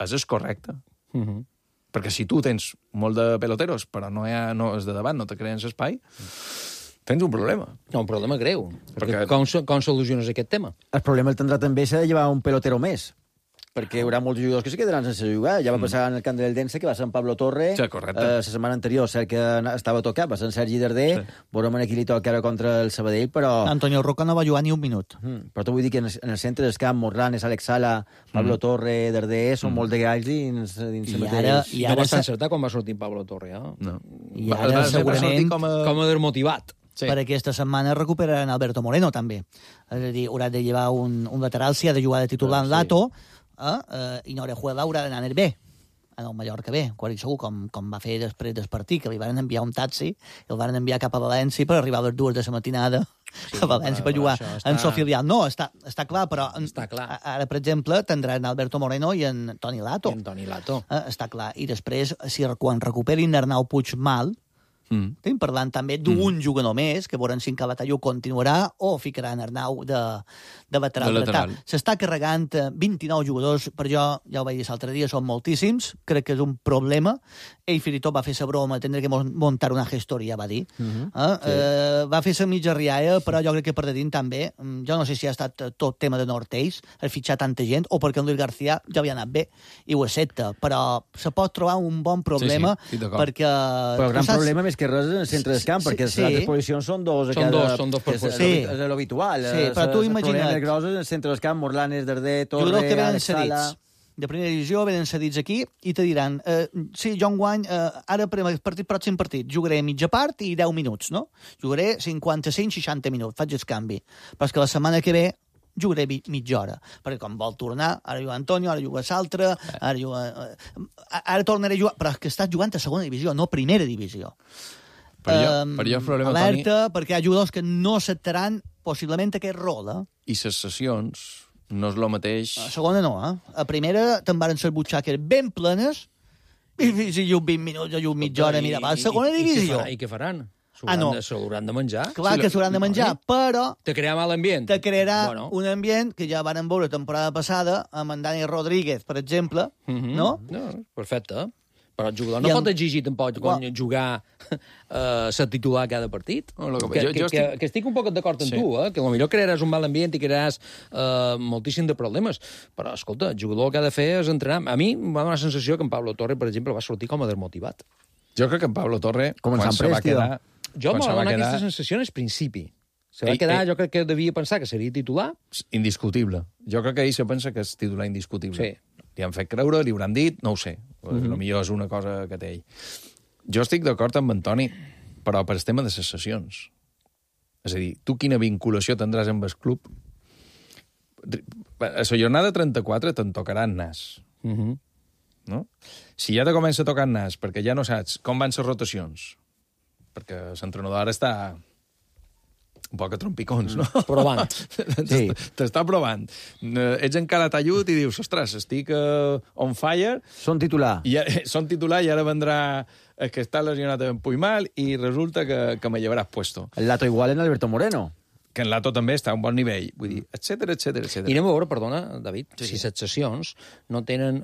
és el correcte. Perquè si tu tens molt de peloteros, però no és de davant, no te creen espai, tens un problema. No, un problema greu. Perquè com soluciones aquest tema? El problema el tindrà també ser de llevar un pelotero més, perquè hi haurà molts jugadors que se quedaran sense jugar. Ja va passar en el camp del Dense, que va ser en Pablo Torre. Sí, correcte. La setmana anterior, cert que estava tocat, va ser en Sergi Darder. Veurem aquí li toca ara contra el Sabadell, però... Antonio Roca no va jugar ni un minut. Però t'ho vull dir que en el centre del camp, Morlanes, Alex Sala, Pablo Torre, Darder, són molt de galls dins mateix. I ara no vas encertar quan va sortir Pablo Torre, eh? No. I ara segurament com a desmotivat. Sí. Per aquesta setmana recuperaran Alberto Moreno, també. És a dir, haurà de llevar un lateral, si ha de jugar de titular en Lato, i Orejuela haurà d'anar en el B, en el Mallorca B, quasi segur, com va fer després del partit, que li van enviar un taxi, i el van enviar cap a València per arribar a les 2 de la matinada a València per jugar en seu filial. No, està clar, però ara, per exemple, tindran Alberto Moreno i en Toni Lato. Està clar. I després, quan recuperin Arnau Puigmal, estem parlant també d'un jugador més, que veurem si en Calatayud continuarà o ficaran Arnau de lateral. S'està carregant 29 jugadors, per jo, ja ho vaig dir l'altre dia, són moltíssims, crec que és un problema. Ell fins i tot va fer la broma, tindré que muntar una gestoria, va dir. Va fer la mitja rialla, però jo crec que per dedint també, jo no sé si ha estat tot tema de Nortells, el fitxar tanta gent, o perquè en Luis García ja havia anat bé, i ho accepta, però se pot trobar un bon problema, perquè... Però el gran problema més que res en el centre del camp, perquè les altres posicions són dos a cada... Són dos per posició. És l'habitual. Sí, però tu imagina't... Els problemes grossos en el centre del camp, Morlanes, Darder, Torre, Alex Sala... De primera divisió, venen cedits aquí i te diran, sí, jo enguany, ara per el pròxim partit, jugaré mitja part i 10 minuts, no? Jugaré 55-60 minuts, faig el canvi. Però és que la setmana que ve jugaré mitja hora, perquè com vol tornar, ara juga Antonio, ara juga l'altre, ara tornaré a jugar, però és que estàs jugant a segona divisió, no primera divisió. Per jo el problema, alerta, Toni... perquè hi ha jugadors que no acceptaran possiblement aquest rol. I les sessions no és el mateix... A segona no, A primera te'n varen ser butxaques ben plenes, i si jo 20 minuts, jo mitja hora, mira, va a segona divisió. I què faran? S'hauran de menjar. Clar que s'hauran de menjar, però... Te crearà mal ambient. Te crearà un ambient que ja varen veure temporada passada amb en Dani Rodríguez, per exemple, no? No, perfecte. Però el jugador no pot exigir tampoc jugar ser titular cada partit. Que estic un poc d'acord amb tu, que potser crearàs un mal ambient i crearàs moltíssim de problemes. Però, escolta, el jugador el que ha de fer és entrenar. A mi em va donar la sensació que en Pablo Torre, per exemple, va sortir com a desmotivat. Jo crec que en Pablo Torre, quan se va quedar... Jo m'ha donat aquesta sensació en el principi. Se va quedar, jo crec que devia pensar que seria titular. Indiscutible. Jo crec que ell se pensa que és titular indiscutible. Sí. Li han fet creure, li hauran dit, no ho sé. Potser és una cosa que té ell. Jo estic d'acord amb Antoni, però per el tema de les sessions. És a dir, tu quina vinculació tindràs amb el club? A la jornada 34 te'n tocarà el nas. No? Si ja te comença a tocar el nas perquè ja no saps com van les rotacions, perquè l'entrenador ara està un poc a trompicons, no? Provant. Sí. T'està provant. Ets encara tallut i dius, ostres, estic on fire. Són titular. Són titular i ara vendrà el que està lesionat en Puigmal i resulta que me llevaràs puesto. El Lato igual en Alberto Moreno. Que en Lato també està a un bon nivell. Vull dir, etcètera. I anem a veure, perdona, David, si les sessions no tenen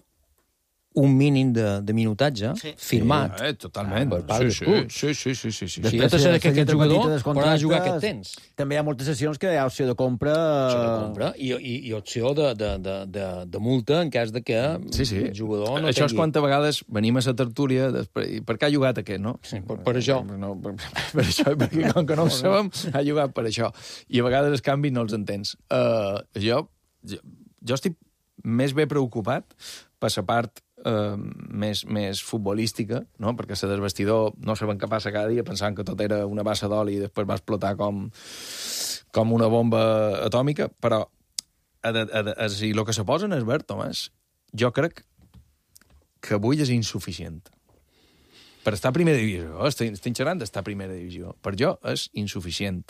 un mínim de minutatge firmat. Totalment. Per part dels clubs. Sí. Si ja te sabes que aquest jugador podrà jugar aquest temps. També hi ha moltes sessions que hi ha opció de compra... I opció de multa en cas de que el jugador no això és quantes vegades venim a la tertúlia per què ha jugat aquest, no? Sí, per això. Per això, perquè com que no ho sabem, ha jugat per això. I a vegades els canvis no els entens. Jo estic més bé preocupat per la part més futbolística, no? Perquè la del vestidor no saben què passa cada dia pensant que tot era una bassa d'oli i després va explotar com una bomba atòmica, però si el que se posa en el verd, Tomàs, jo crec que avui és insuficient. Per estar a primera divisió, estic xerrant d'estar a primera divisió, per jo és insuficient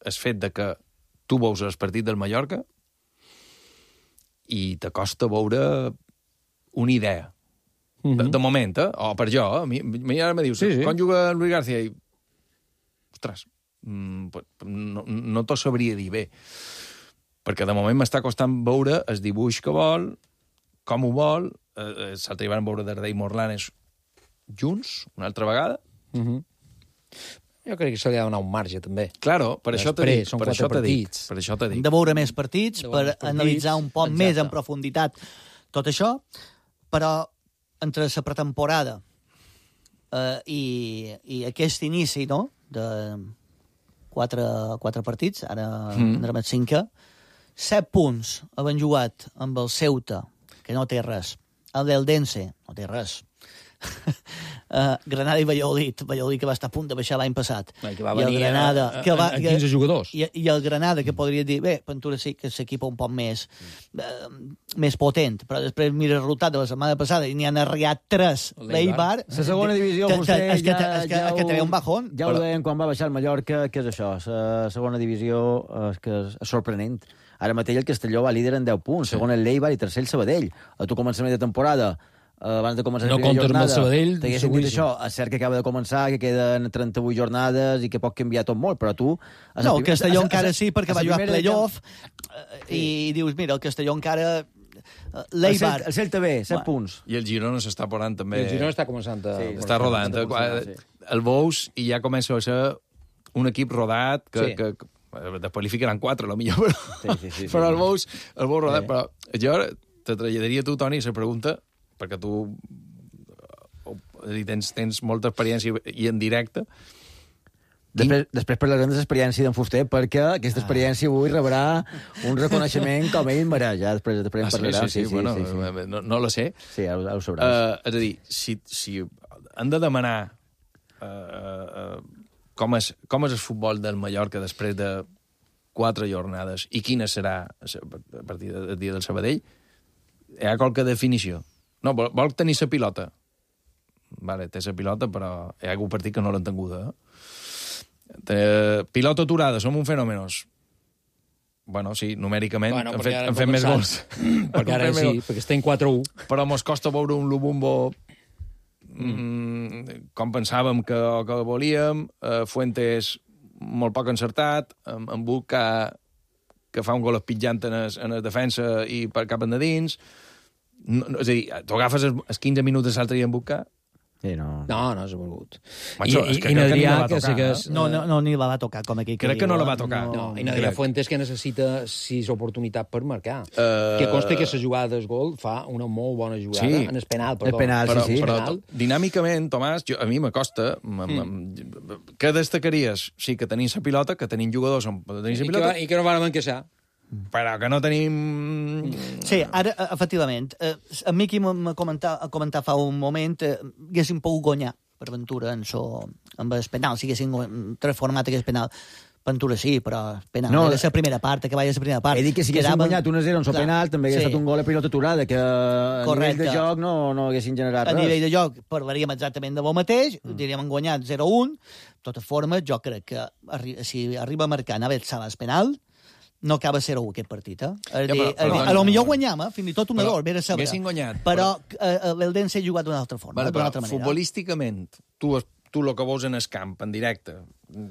el fet de que tu veus el partit del Mallorca i t'acosta veure una idea. De moment, o per jo, a mi ara me dius, quan juga Luis García? I, ostres, no t'ho sabria dir bé. perquè de moment m'està costant veure el dibuix que vol, com ho vol, l'altre dia van veure Dardai i Morlanes junts, una altra vegada. Jo crec que se li ha de donar un marge, també. Claro, per això t'he dit. Són 4 partits. Per això t'he dit. De veure més partits, per analitzar un poc més en profunditat tot això, però entre la pretemporada i aquest inici, no?, de 4 partits, ara anem al 5, 7 punts havent jugat amb el Ceuta, que no té res, el d'Eldense, no té res, Granada i Valladolid que va estar a punt de baixar l'any passat, que va venir a 15 jugadors, i el Granada, que podria dir, bé, Ventura sí que és l'equip un poc més potent, però després mira el resultat de la setmana passada i n'hi han arriat 3 l'Eibar. La segona divisió, vostè que té un bajón. Ja ho deien quan va baixar el Mallorca, que és això, la segona divisió que és sorprenent. Ara mateix el Castelló va líder en 10 punts, segon el l'Eibar i tercer el Sabadell. A tu començament de temporada, abans de començar la primera jornada, t'haguessin dit això, és cert que acaba de començar, que queden 38 jornades i que pot canviar tot molt, però tu... No, el Castelló encara sí, perquè va jugar playoff i dius, mira, el Castelló encara... L'Eibar... El Celta B, 7 punts. I el Girona s'està posant també... El Girona està començant a... Està rodant. El Bous i ja comença a ser un equip rodat que després li ficaran 4, a lo millor, però el Bous rodat. Però jo te traslladaria a tu, Toni, la pregunta, perquè tu tens molta experiència i en directe. Després parlarem de l'experiència d'en Fuster, perquè aquesta experiència avui rebrà un reconeixement com ell mereix. Ja després en parlarem. Sí. No la sé. Sí, ho sabràs. És a dir, si han de demanar com és el futbol del Mallorca després de 4 jornades i quina serà a partir del dia del Sabadell, hi ha qualque definició. No, vol tenir la pilota. Vale, té la pilota, però hi ha algun partit que no l'ha entenguda. Pilota aturada, som un fenòmenos. Bueno, sí, numèricament han fet més gols. Perquè ara sí, perquè estem 4-1. Però mos costa veure un Lubumbo com pensàvem que volíem. Fuentes molt poc encertat, en Buc que fa un gol espitjant en la defensa i per cap endins. És a dir, tu agafes els 15 minuts de l'altre dia en Buc. No, s'ha volgut. I Nadrià, que segueix... No, ni la va tocar, com aquí. Crec que no la va tocar. I Nadrià Fuentes, que necessita 6 oportunitats per marcar. Que consta que la jugada del gol fa una molt bona jugada en el penal. El penal, sí. Però dinàmicament, Tomàs, a mi m'acosta... Què destacaries? Sí, que tenim la pilota, que tenim jugadors on tenim la pilota... I que no van encaixar. Però que no tenim... Sí, ara, efectivament, a mi qui m'ha comentat fa un moment haguéssim pogut guanyar per Ventura amb el penal, si haguéssim transformat aquest penal. Ventura sí, però penal no, era la primera part, que vaya la primera part. He dit que si haguéssim guanyat 1-0 en el penal, també hagués estat un gol a pilota aturada, que a nivell de joc no haguessin generat res. A nivell de joc parlaríem exactament de lo mateix, diríem guanyat 0-1. De totes formes, jo crec que si arriba a marcar Navet Salas penal, no acaba 0-1 aquest partit, a lo millor guanyam, fins i tot un error, vera saber. Però l'Eldense ha jugat d'una altra forma, d'una altra manera. Futbolísticament, tu el que veus en el camp, en directe,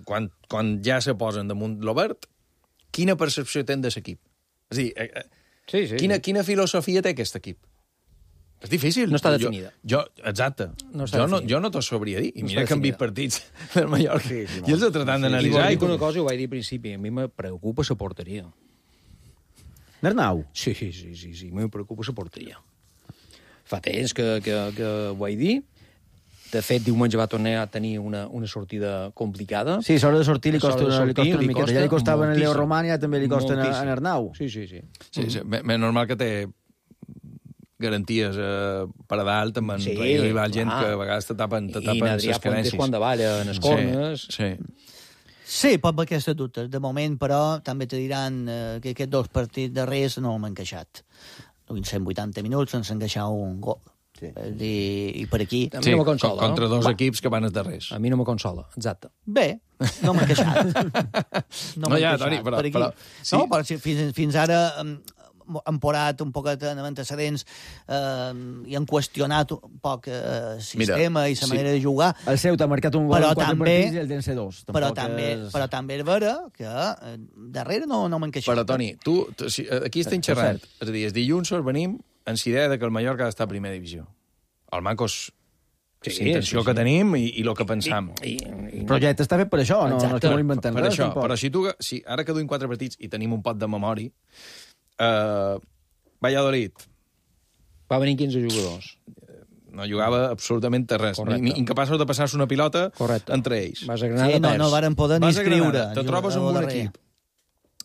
quan ja se posen damunt l'Obert, quina percepció tens de l'equip? És a dir, quina filosofia té aquest equip? És difícil. No està definida. Exacte. Jo no t'ho sabria dir. I mira que han vist partits del Mallorca. I els he tratat d'analitzar. I una cosa, ho vaig dir al principi, a mi me preocupa la porteria. N'Arnau? Sí, me preocupa la porteria. Fa temps que ho vaig dir. De fet, diumenge va tornar a tenir una sortida complicada. Sí, l'hora de sortir li costa una miqueta. Ja li costava en Leo Román i també li costa en Arnau. Sí. Més normal que té garanties per a dalt, amb rival gent que a vegades te tapen les carències. I Nadrià Fuentes quan davalla en els corners. Sí, pot haver aquestes dubtes. De moment, però, també te diran que aquests 2 partits darrers no m'han encaixat. En 180 minuts ens han encaixat un gol. I per aquí... A mi no me consola. Contra 2 equips que van els darrers. A mi no me consola, exacte. Bé, no m'ha encaixat. No, ja, Toni, però... No, però fins ara... han porat un poquet en antecedents i han qüestionat un poc el sistema i la manera de jugar. El Ceuta ha marcat un gol en 4 partits i el d'en C2. Però també és vera que darrere no m'han queixat. Però, Toni, tu aquí estem xerrant. És a dir, el dilluns venim amb la idea que el Mallorca ha d'estar a primera divisió. El Mancos... és la intenció que tenim i el que pensam. El projecte està fet per això, no és que no l'inventem res. Però si ara que duim 4 partits i tenim un pot de memòria, Valladolid... Va venir 15 jugadors. No jugava absolutament res. Incapaços de passar-se una pilota entre ells. Vas a Granada, no varen poder ni escriure. Te trobes amb un equip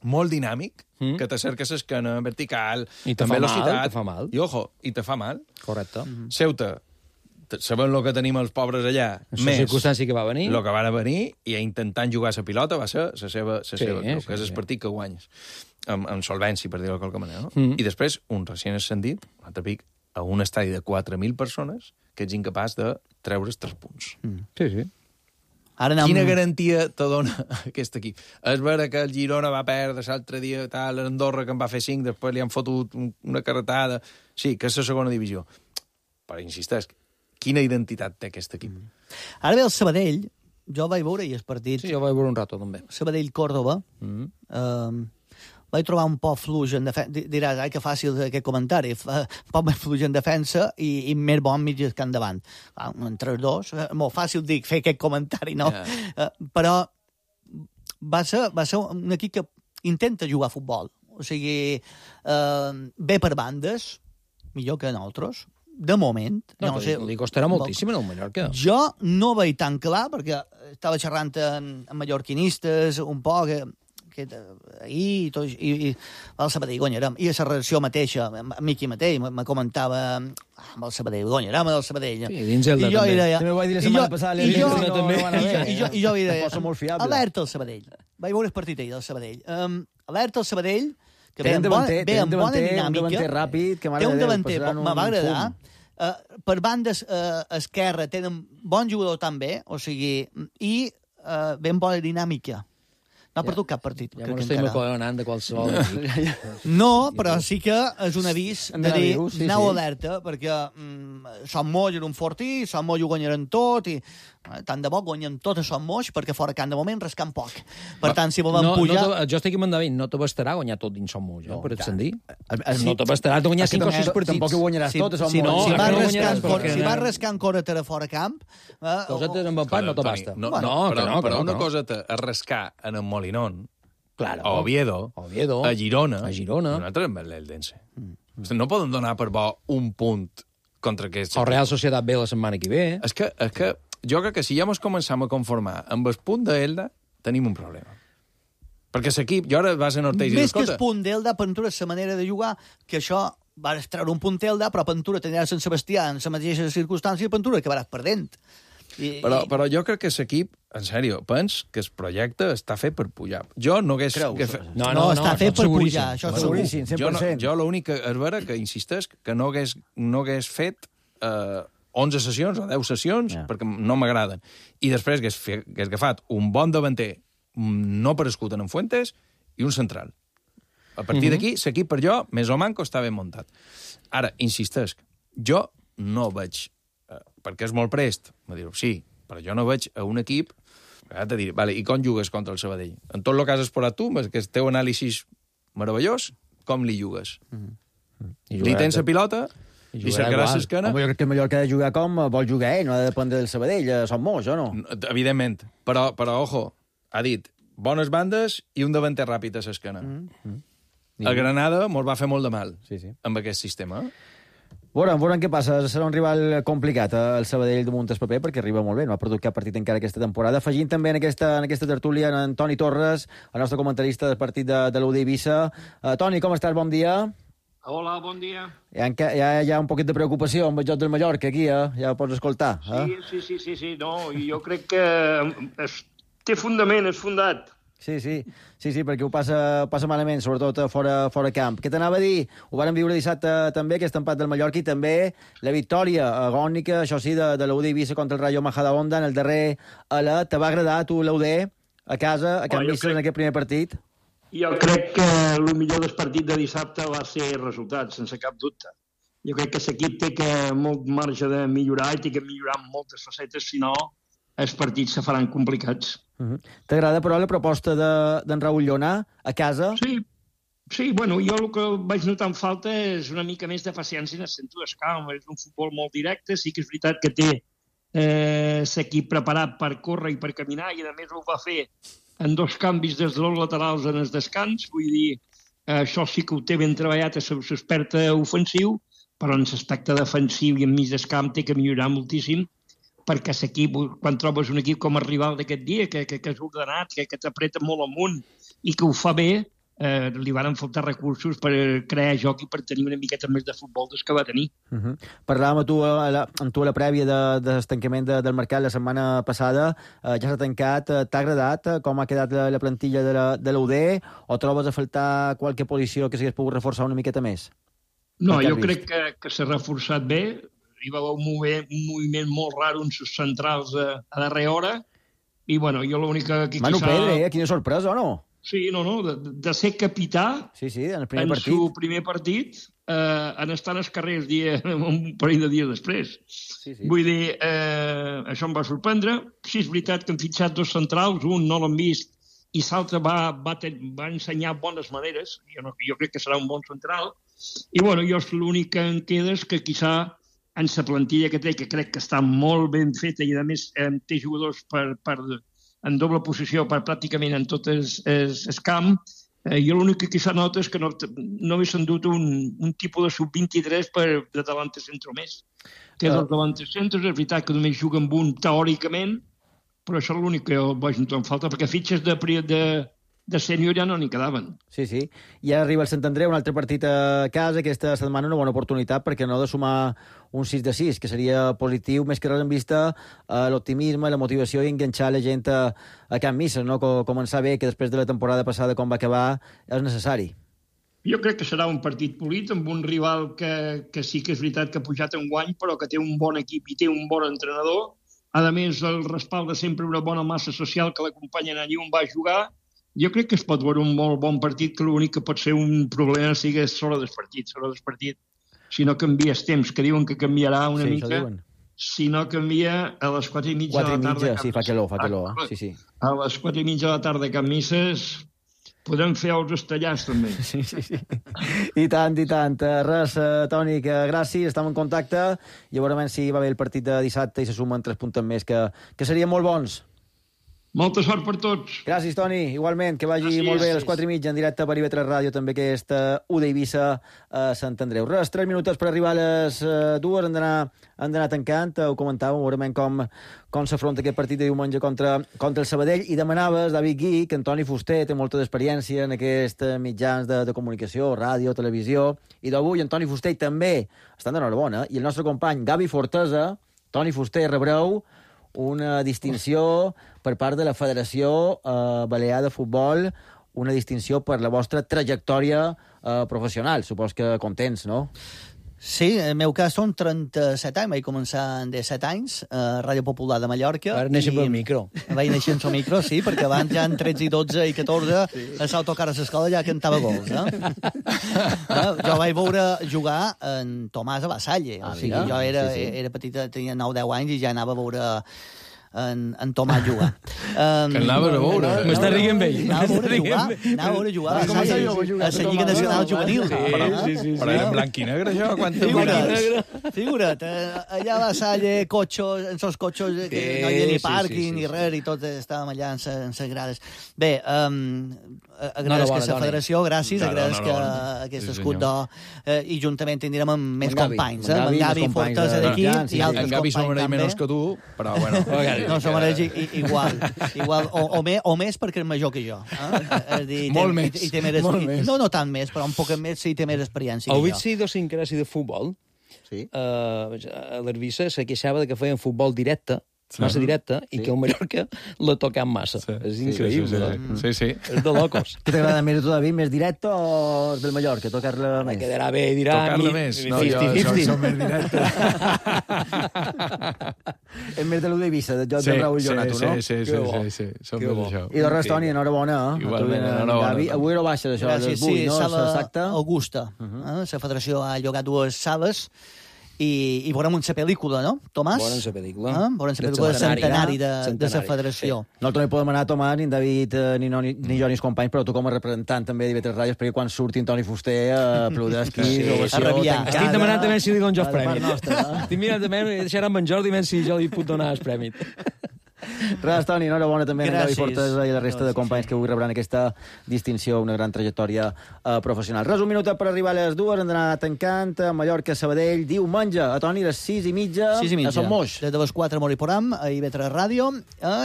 molt dinàmic, que t'acerques l'esquena vertical, amb velocitat. Te fa mal. I, ojo, i te fa mal. Correcte. Ceuta, sabem el que tenim els pobres allà, més la circumstància que va venir. El que van a venir i intentant jugar la pilota va ser la seva que és el partit que guanyes. Amb solvència, per dir-ho de qualque manera. No? I després, un recient ascendit, un altre pic, a un estadi de 4.000 persones que ets incapaç de treure's 3 punts. Sí. Quina garantia te dona aquest equip? És vera que el Girona va perdre l'altre dia, l'Andorra que en va fer 5, després li han fotut una carretada. Sí, que és la segona divisió. Però insisteix, quina identitat té aquest equip? Ara ve el Sabadell, jo vaig veure el partit. Sí, jo vaig veure un rato, també. Sabadell-Còrdoba. Vaig trobar un poc fluix en defensa. Diràs, que fàcil aquest comentari. Un poc més fluix en defensa i més bon mig que endavant. Entre els dos, molt fàcil dir fer aquest comentari, no? Però va ser un equip que intenta jugar a futbol. O sigui, ve per bandes, millor que nosaltres, de moment. No sé, li costarà moltíssim en el Mallorca. Jo no veig tan clar, perquè estava xerrant amb mallorquinistes un poc, ahir i el Sabadell guanyarem. I a la redacció mateixa, Miqui mateix, me comentava amb el Sabadell, guanyarem el Sabadell. Sí, dins el de també. També ho vaig dir la setmana passada. I jo vaig dir, alerta al Sabadell. Vaig veure el partit ahir del Sabadell. Alerta al Sabadell, que ve amb bona dinàmica. Un davanter ràpid, que té un davanter, me va agradar. Per bandes esquerra tenen bon jugador també, o sigui, i ben bona dinàmica. No ha perdut cap partit. Ja no estem acollonant de qualsevol. No, però sí que és un avís de dir, aneu alerta, perquè Son Moix era un fortí, Son Moix ho guanyaran tot, i tant de bo guanyem tot a Son Moix, perquè fora Camp de moment rascant poc. Per tant, si volem pujar... Jo estic amb en David, no te bastarà guanyar tot dins Son Moix, per et sentir. No te bastarà guanyar 5 o 6 partits. Tampoc ho guanyaràs tot a Son Moix. Si vas rascant córrer fora camp... Cosetes amb empat no te basta. Però una cosa és rascar en el Molinón, a Oviedo, a Girona, i un altre amb l'Eldense. No poden donar per bo un punt contra aquest... O Real Societat B la setmana que ve. És que jo crec que si ja ens començam a conformar amb el punt d'Elda, tenim un problema. Perquè l'equip, jo ara vas a Orteix i més que el punt d'Elda, Pentura és la manera de jugar, que això va treure un punt d'Elda, però Pentura tenia Sant Sebastià en la mateixa circumstància i Pentura acabaràs perdent. Però jo crec que l'equip, en sèrio, pens que el projecte està fet per pujar. Jo no hagués... No, està fet per pujar, això és seguríssim, 100%. Jo l'únic que és vera que insisteix que no hagués fet 11 sessions o 10 sessions, perquè no m'agraden. I després hagués agafat un bon davanter no prescut en Fuentes i un central. A partir d'aquí, l'equip per jo, més o manco, està ben muntat. Ara, insisteix, jo no veig... perquè és molt prest, me direu, sí, però jo no veig a un equip, te diré, vale, i com jugues contra el Sabadell? En tot el que has explorat tu, que el teu anàlisi meravellós, com li jugues? Li tens la pilota i cercaràs l'esquena? Jo crec que el Mallorca ha de jugar com vol jugar ell, no ha de dependre del Sabadell, Son Moix, o no? Evidentment, però ojo, ha dit, bones bandes i un davanter ràpid a l'esquena. El Granada mos va fer molt de mal amb aquest sistema. Veurem què passa. Serà un rival complicat, el Sabadell de Montes Paper, perquè arriba molt bé, no ha perdut cap partit encara aquesta temporada. Afegint també en aquesta tertúlia en Toni Torres, el nostre comentarista del partit de l'UD Eivissa. Toni, com estàs? Bon dia. Hola, bon dia. Ja hi ha un poquet de preocupació amb el joc del Mallorca aquí, ja ho pots escoltar. Sí, no, i jo crec que té fundament, és fundat. Sí, perquè ho passa malament, sobretot fora camp. Què t'anava a dir? Ho vàrem viure dissabte també, aquest empat del Mallorca, i també la victòria agònica, això sí, de l'UD Eivissa contra el Rayo Majadahonda en el darrer alè. Te va agradar a tu l'UD a casa, a Can Mísser, en aquest primer partit? Jo crec que el millor del partit de dissabte va ser el resultat, sense cap dubte. Jo crec que l'equip té molt marge de millorar i té que millorar en moltes facetes, si no els partits se faran complicats. T'agrada, però, la proposta d'en Raül Llona a casa? Sí, bueno, jo el que vaig notar en falta és una mica més de paciència en el centre del camp. És un futbol molt directe, sí que és veritat que té l'equip preparat per córrer i per caminar, i a més ho va fer en 2 canvis des dels laterals en el descans. Vull dir, això sí que ho té ben treballat a l'expert ofensiu, però en l'aspecte defensiu i enmig del camp té que millorar moltíssim, perquè l'equip, quan trobes un equip com el rival d'aquest dia, que és ordenat, que t'apreta molt amunt i que ho fa bé, li van faltar recursos per crear joc i per tenir una miqueta més de futbol des que va tenir. Parlàvem amb tu a la prèvia del tancament del mercat la setmana passada. Ja s'ha tancat. T'ha agradat com ha quedat la plantilla de l'UD, o trobes a faltar qualque posició que s'hagués pogut reforçar una miqueta més? No, jo crec que s'ha reforçat bé. Hi va haver un moviment molt raro en les centrals a darrera hora, i bueno, jo l'única que Manu Pedre, quina sorpresa, o no? Sí, de ser capità en el primer partit, en estar als carrers un parell de dies després. Vull dir, això em va sorprendre. Sí, és veritat que han fitxat 2 centrals, un no l'han vist i l'altre va ensenyar bones maneres. Jo crec que serà un bon central. I bueno, l'únic que em queda és que quizà en la plantilla que té, que crec que està molt ben feta i a més té jugadors en doble posició per pràcticament en tot el camp, jo l'únic que quizà nota és que no haguessin dut un tipus de sub-23 de davanter centro més. Té 2 davanter centros, és veritat que només juga amb un teòricament, però això és l'únic que vaig notar en falta, perquè fitxes de sènior ja no n'hi quedaven. Sí. I ara arriba el Sant Andreu, un altre partit a casa, aquesta setmana una bona oportunitat, perquè no ha de sumar un 6-6, que seria positiu, més que res en vista l'optimisme, la motivació i enganxar la gent a Can Misses, no? Començar bé, que després de la temporada passada, com va acabar, és necessari. Jo crec que serà un partit polit, amb un rival que sí que és veritat que ha pujat en guany, però que té un bon equip i té un bon entrenador. A més, el respalda sempre una bona massa social que l'acompanyen allí on va jugar. Jo crec que es pot veure un molt bon partit, que l'únic que pot ser un problema sigui l'hora del partit. Si no canvia el temps, que diuen que canviarà una mica, si no canvia a les 4:30 de la tarda. Sí, fa calor. Sí. A les 4:30 de la tarda a Can Misses podem fer els estellars, també. Sí. I tant. Res, Toni, que gràcies, estem en contacte i veurem si va bé el partit de dissabte i se sumen 3 punts més, que serien molt bons. Molta sort per tots. Gràcies, Toni. Igualment, que vagi molt bé a les 4:30 en directe per IB3 Ràdio, també aquesta UD Eivissa a Sant Andreu. Res, 3 minuts per arribar a les 2, han d'anar tancant. Ho comentàvem, veurem com s'afronta aquest partit de diumenge contra el Sabadell. I demanaves, David Gui, que en Toni Fuster té molta d'experiència en aquests mitjans de comunicació, ràdio, televisió, i d'avui en Toni Fuster també estan d'enhorabona. I el nostre company Gavi Fortesa, Toni Fuster, rebreu una distinció per part de la Federació Balear de Futbol, una distinció per la vostra trajectòria professional. Supos que contents, no? Sí, en el meu cas són 37 anys, vaig començar en 17 anys a Ràdio Popular de Mallorca. Ara néixer pel micro. Vaig néixer en el micro, sí, perquè abans ja en 13 i 12 i 14 a l'autocar a l'escola ja cantava gols, Jo vaig veure jugar en Tomàs a Vasalle, o sigui, jo era petita, tenia 9-10 anys i ja anava a veure en Tomàs jugar. Que anaves a veure. M'està rient ell. Anava a veure jugar a la Lliga Nacional Juvenil. Sí. Però era en blanc i negre, això? Figura't, allà a Vasalle, cotxos, en els cotxos, que no hi havia ni pàrquing ni res, i tot estàvem allà en les grades. Bé, agraeix que la federació, gràcies, agraeix que aquest escut d'or, i juntament tindrem amb més companys, amb Gavi Fortesa d'aquí i altres companys també. En Gavi s'ho mereix menys que tu, però bueno. No, s'ho mereix igual, o més perquè és major que jo. Molt més. No tant més, però un poc més si té més experiència que jo. Heu vist idiosincràsia de futbol? Sí. A l'Herbissa se queixava que feien futbol directe massa directa, i que el Mallorca l'ha tocat massa. És increïble. Sí. És de locos. Què t'agrada més, tu, David? Més directe o del Mallorca? Tocar-la més? Quedarà bé, dirà... Tocar-la més. No, jo som més directe. És més de l'Udevisa, del joc de Raúl Jonato, no? Sí. Som més d'això. I de res, Toni, enhorabona. Igualment, enhorabona. Avui no baixes, això, a les 8, no? Sala Augusta. La federació ha llogat 2 sales i veurem una pel·lícula, no, Tomàs? Veurem la pel·lícula. Veurem la pel·lícula de centenari de la federació. Nosaltres no hi podem anar a tomar, ni en David, ni jo, ni els companys, però tu com a representant també d'IV3 Ràdios, perquè quan surti en Toni Fuster a aplaudir esquís, ovació tancada... Estic demanant també si li dono jo el premi. Estic mirant també, deixarà amb en Jordi, si jo li puc donar el premi. Res, Toni, enhorabona també a Gavi Fortesa i la resta de companys que avui rebran aquesta distinció, una gran trajectòria professional. Res, un minut per arribar a les 2, hem d'anar tancant a Mallorca, Sabadell, diumenge, a Toni, les 6:30, a Son Moix. Des de les 4 Moriporam, a IV3 Ràdio,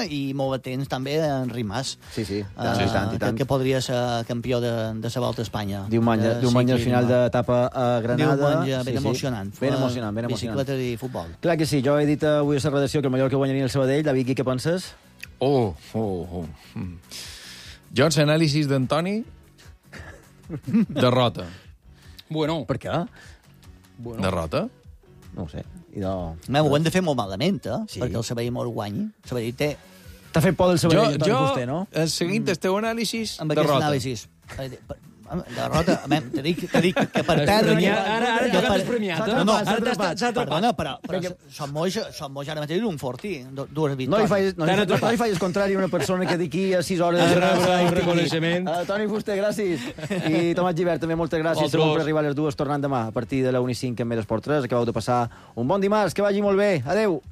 i molt atents també a Enric Mas. Sí, tant. Que podria ser campió de la Volta a Espanya. Diumenge al final d'etapa a Granada. Diumenge ben emocionant. Ben emocionant. Bicicleta i futbol. Clar que sí, jo he dit avui a la redacció que el Mallorca guanyaria el Sabadell. David, què penses? Jo, en l'anàlisi d'Antoni, derrota. Bueno. Per què? Derrota? No ho sé. Ho hem de fer molt malament, perquè el Sabadell molt guanyi. El Sabadell té... T'ha fet por del Sabadell, Antoni Fuster, no? Jo, seguint el teu anàlisi, derrota. Amb aquest anàlisi. Derrota, t'he dit que per perdre... Ara tocat és premiat, no? S'ha atrapat. Però Son Moix ara mateix un fortí, 2 victòries. No li facis contrari a una persona que d'aquí a 6 hores... Un reconeixement. Toni Fuster, gràcies. I Tomàs Gibert, també moltes gràcies. Segur per arribar a les 2, tornant demà a partir de la 1:05 en Més Esport 3. Acabeu de passar un bon dimarts, que vagi molt bé. Adéu.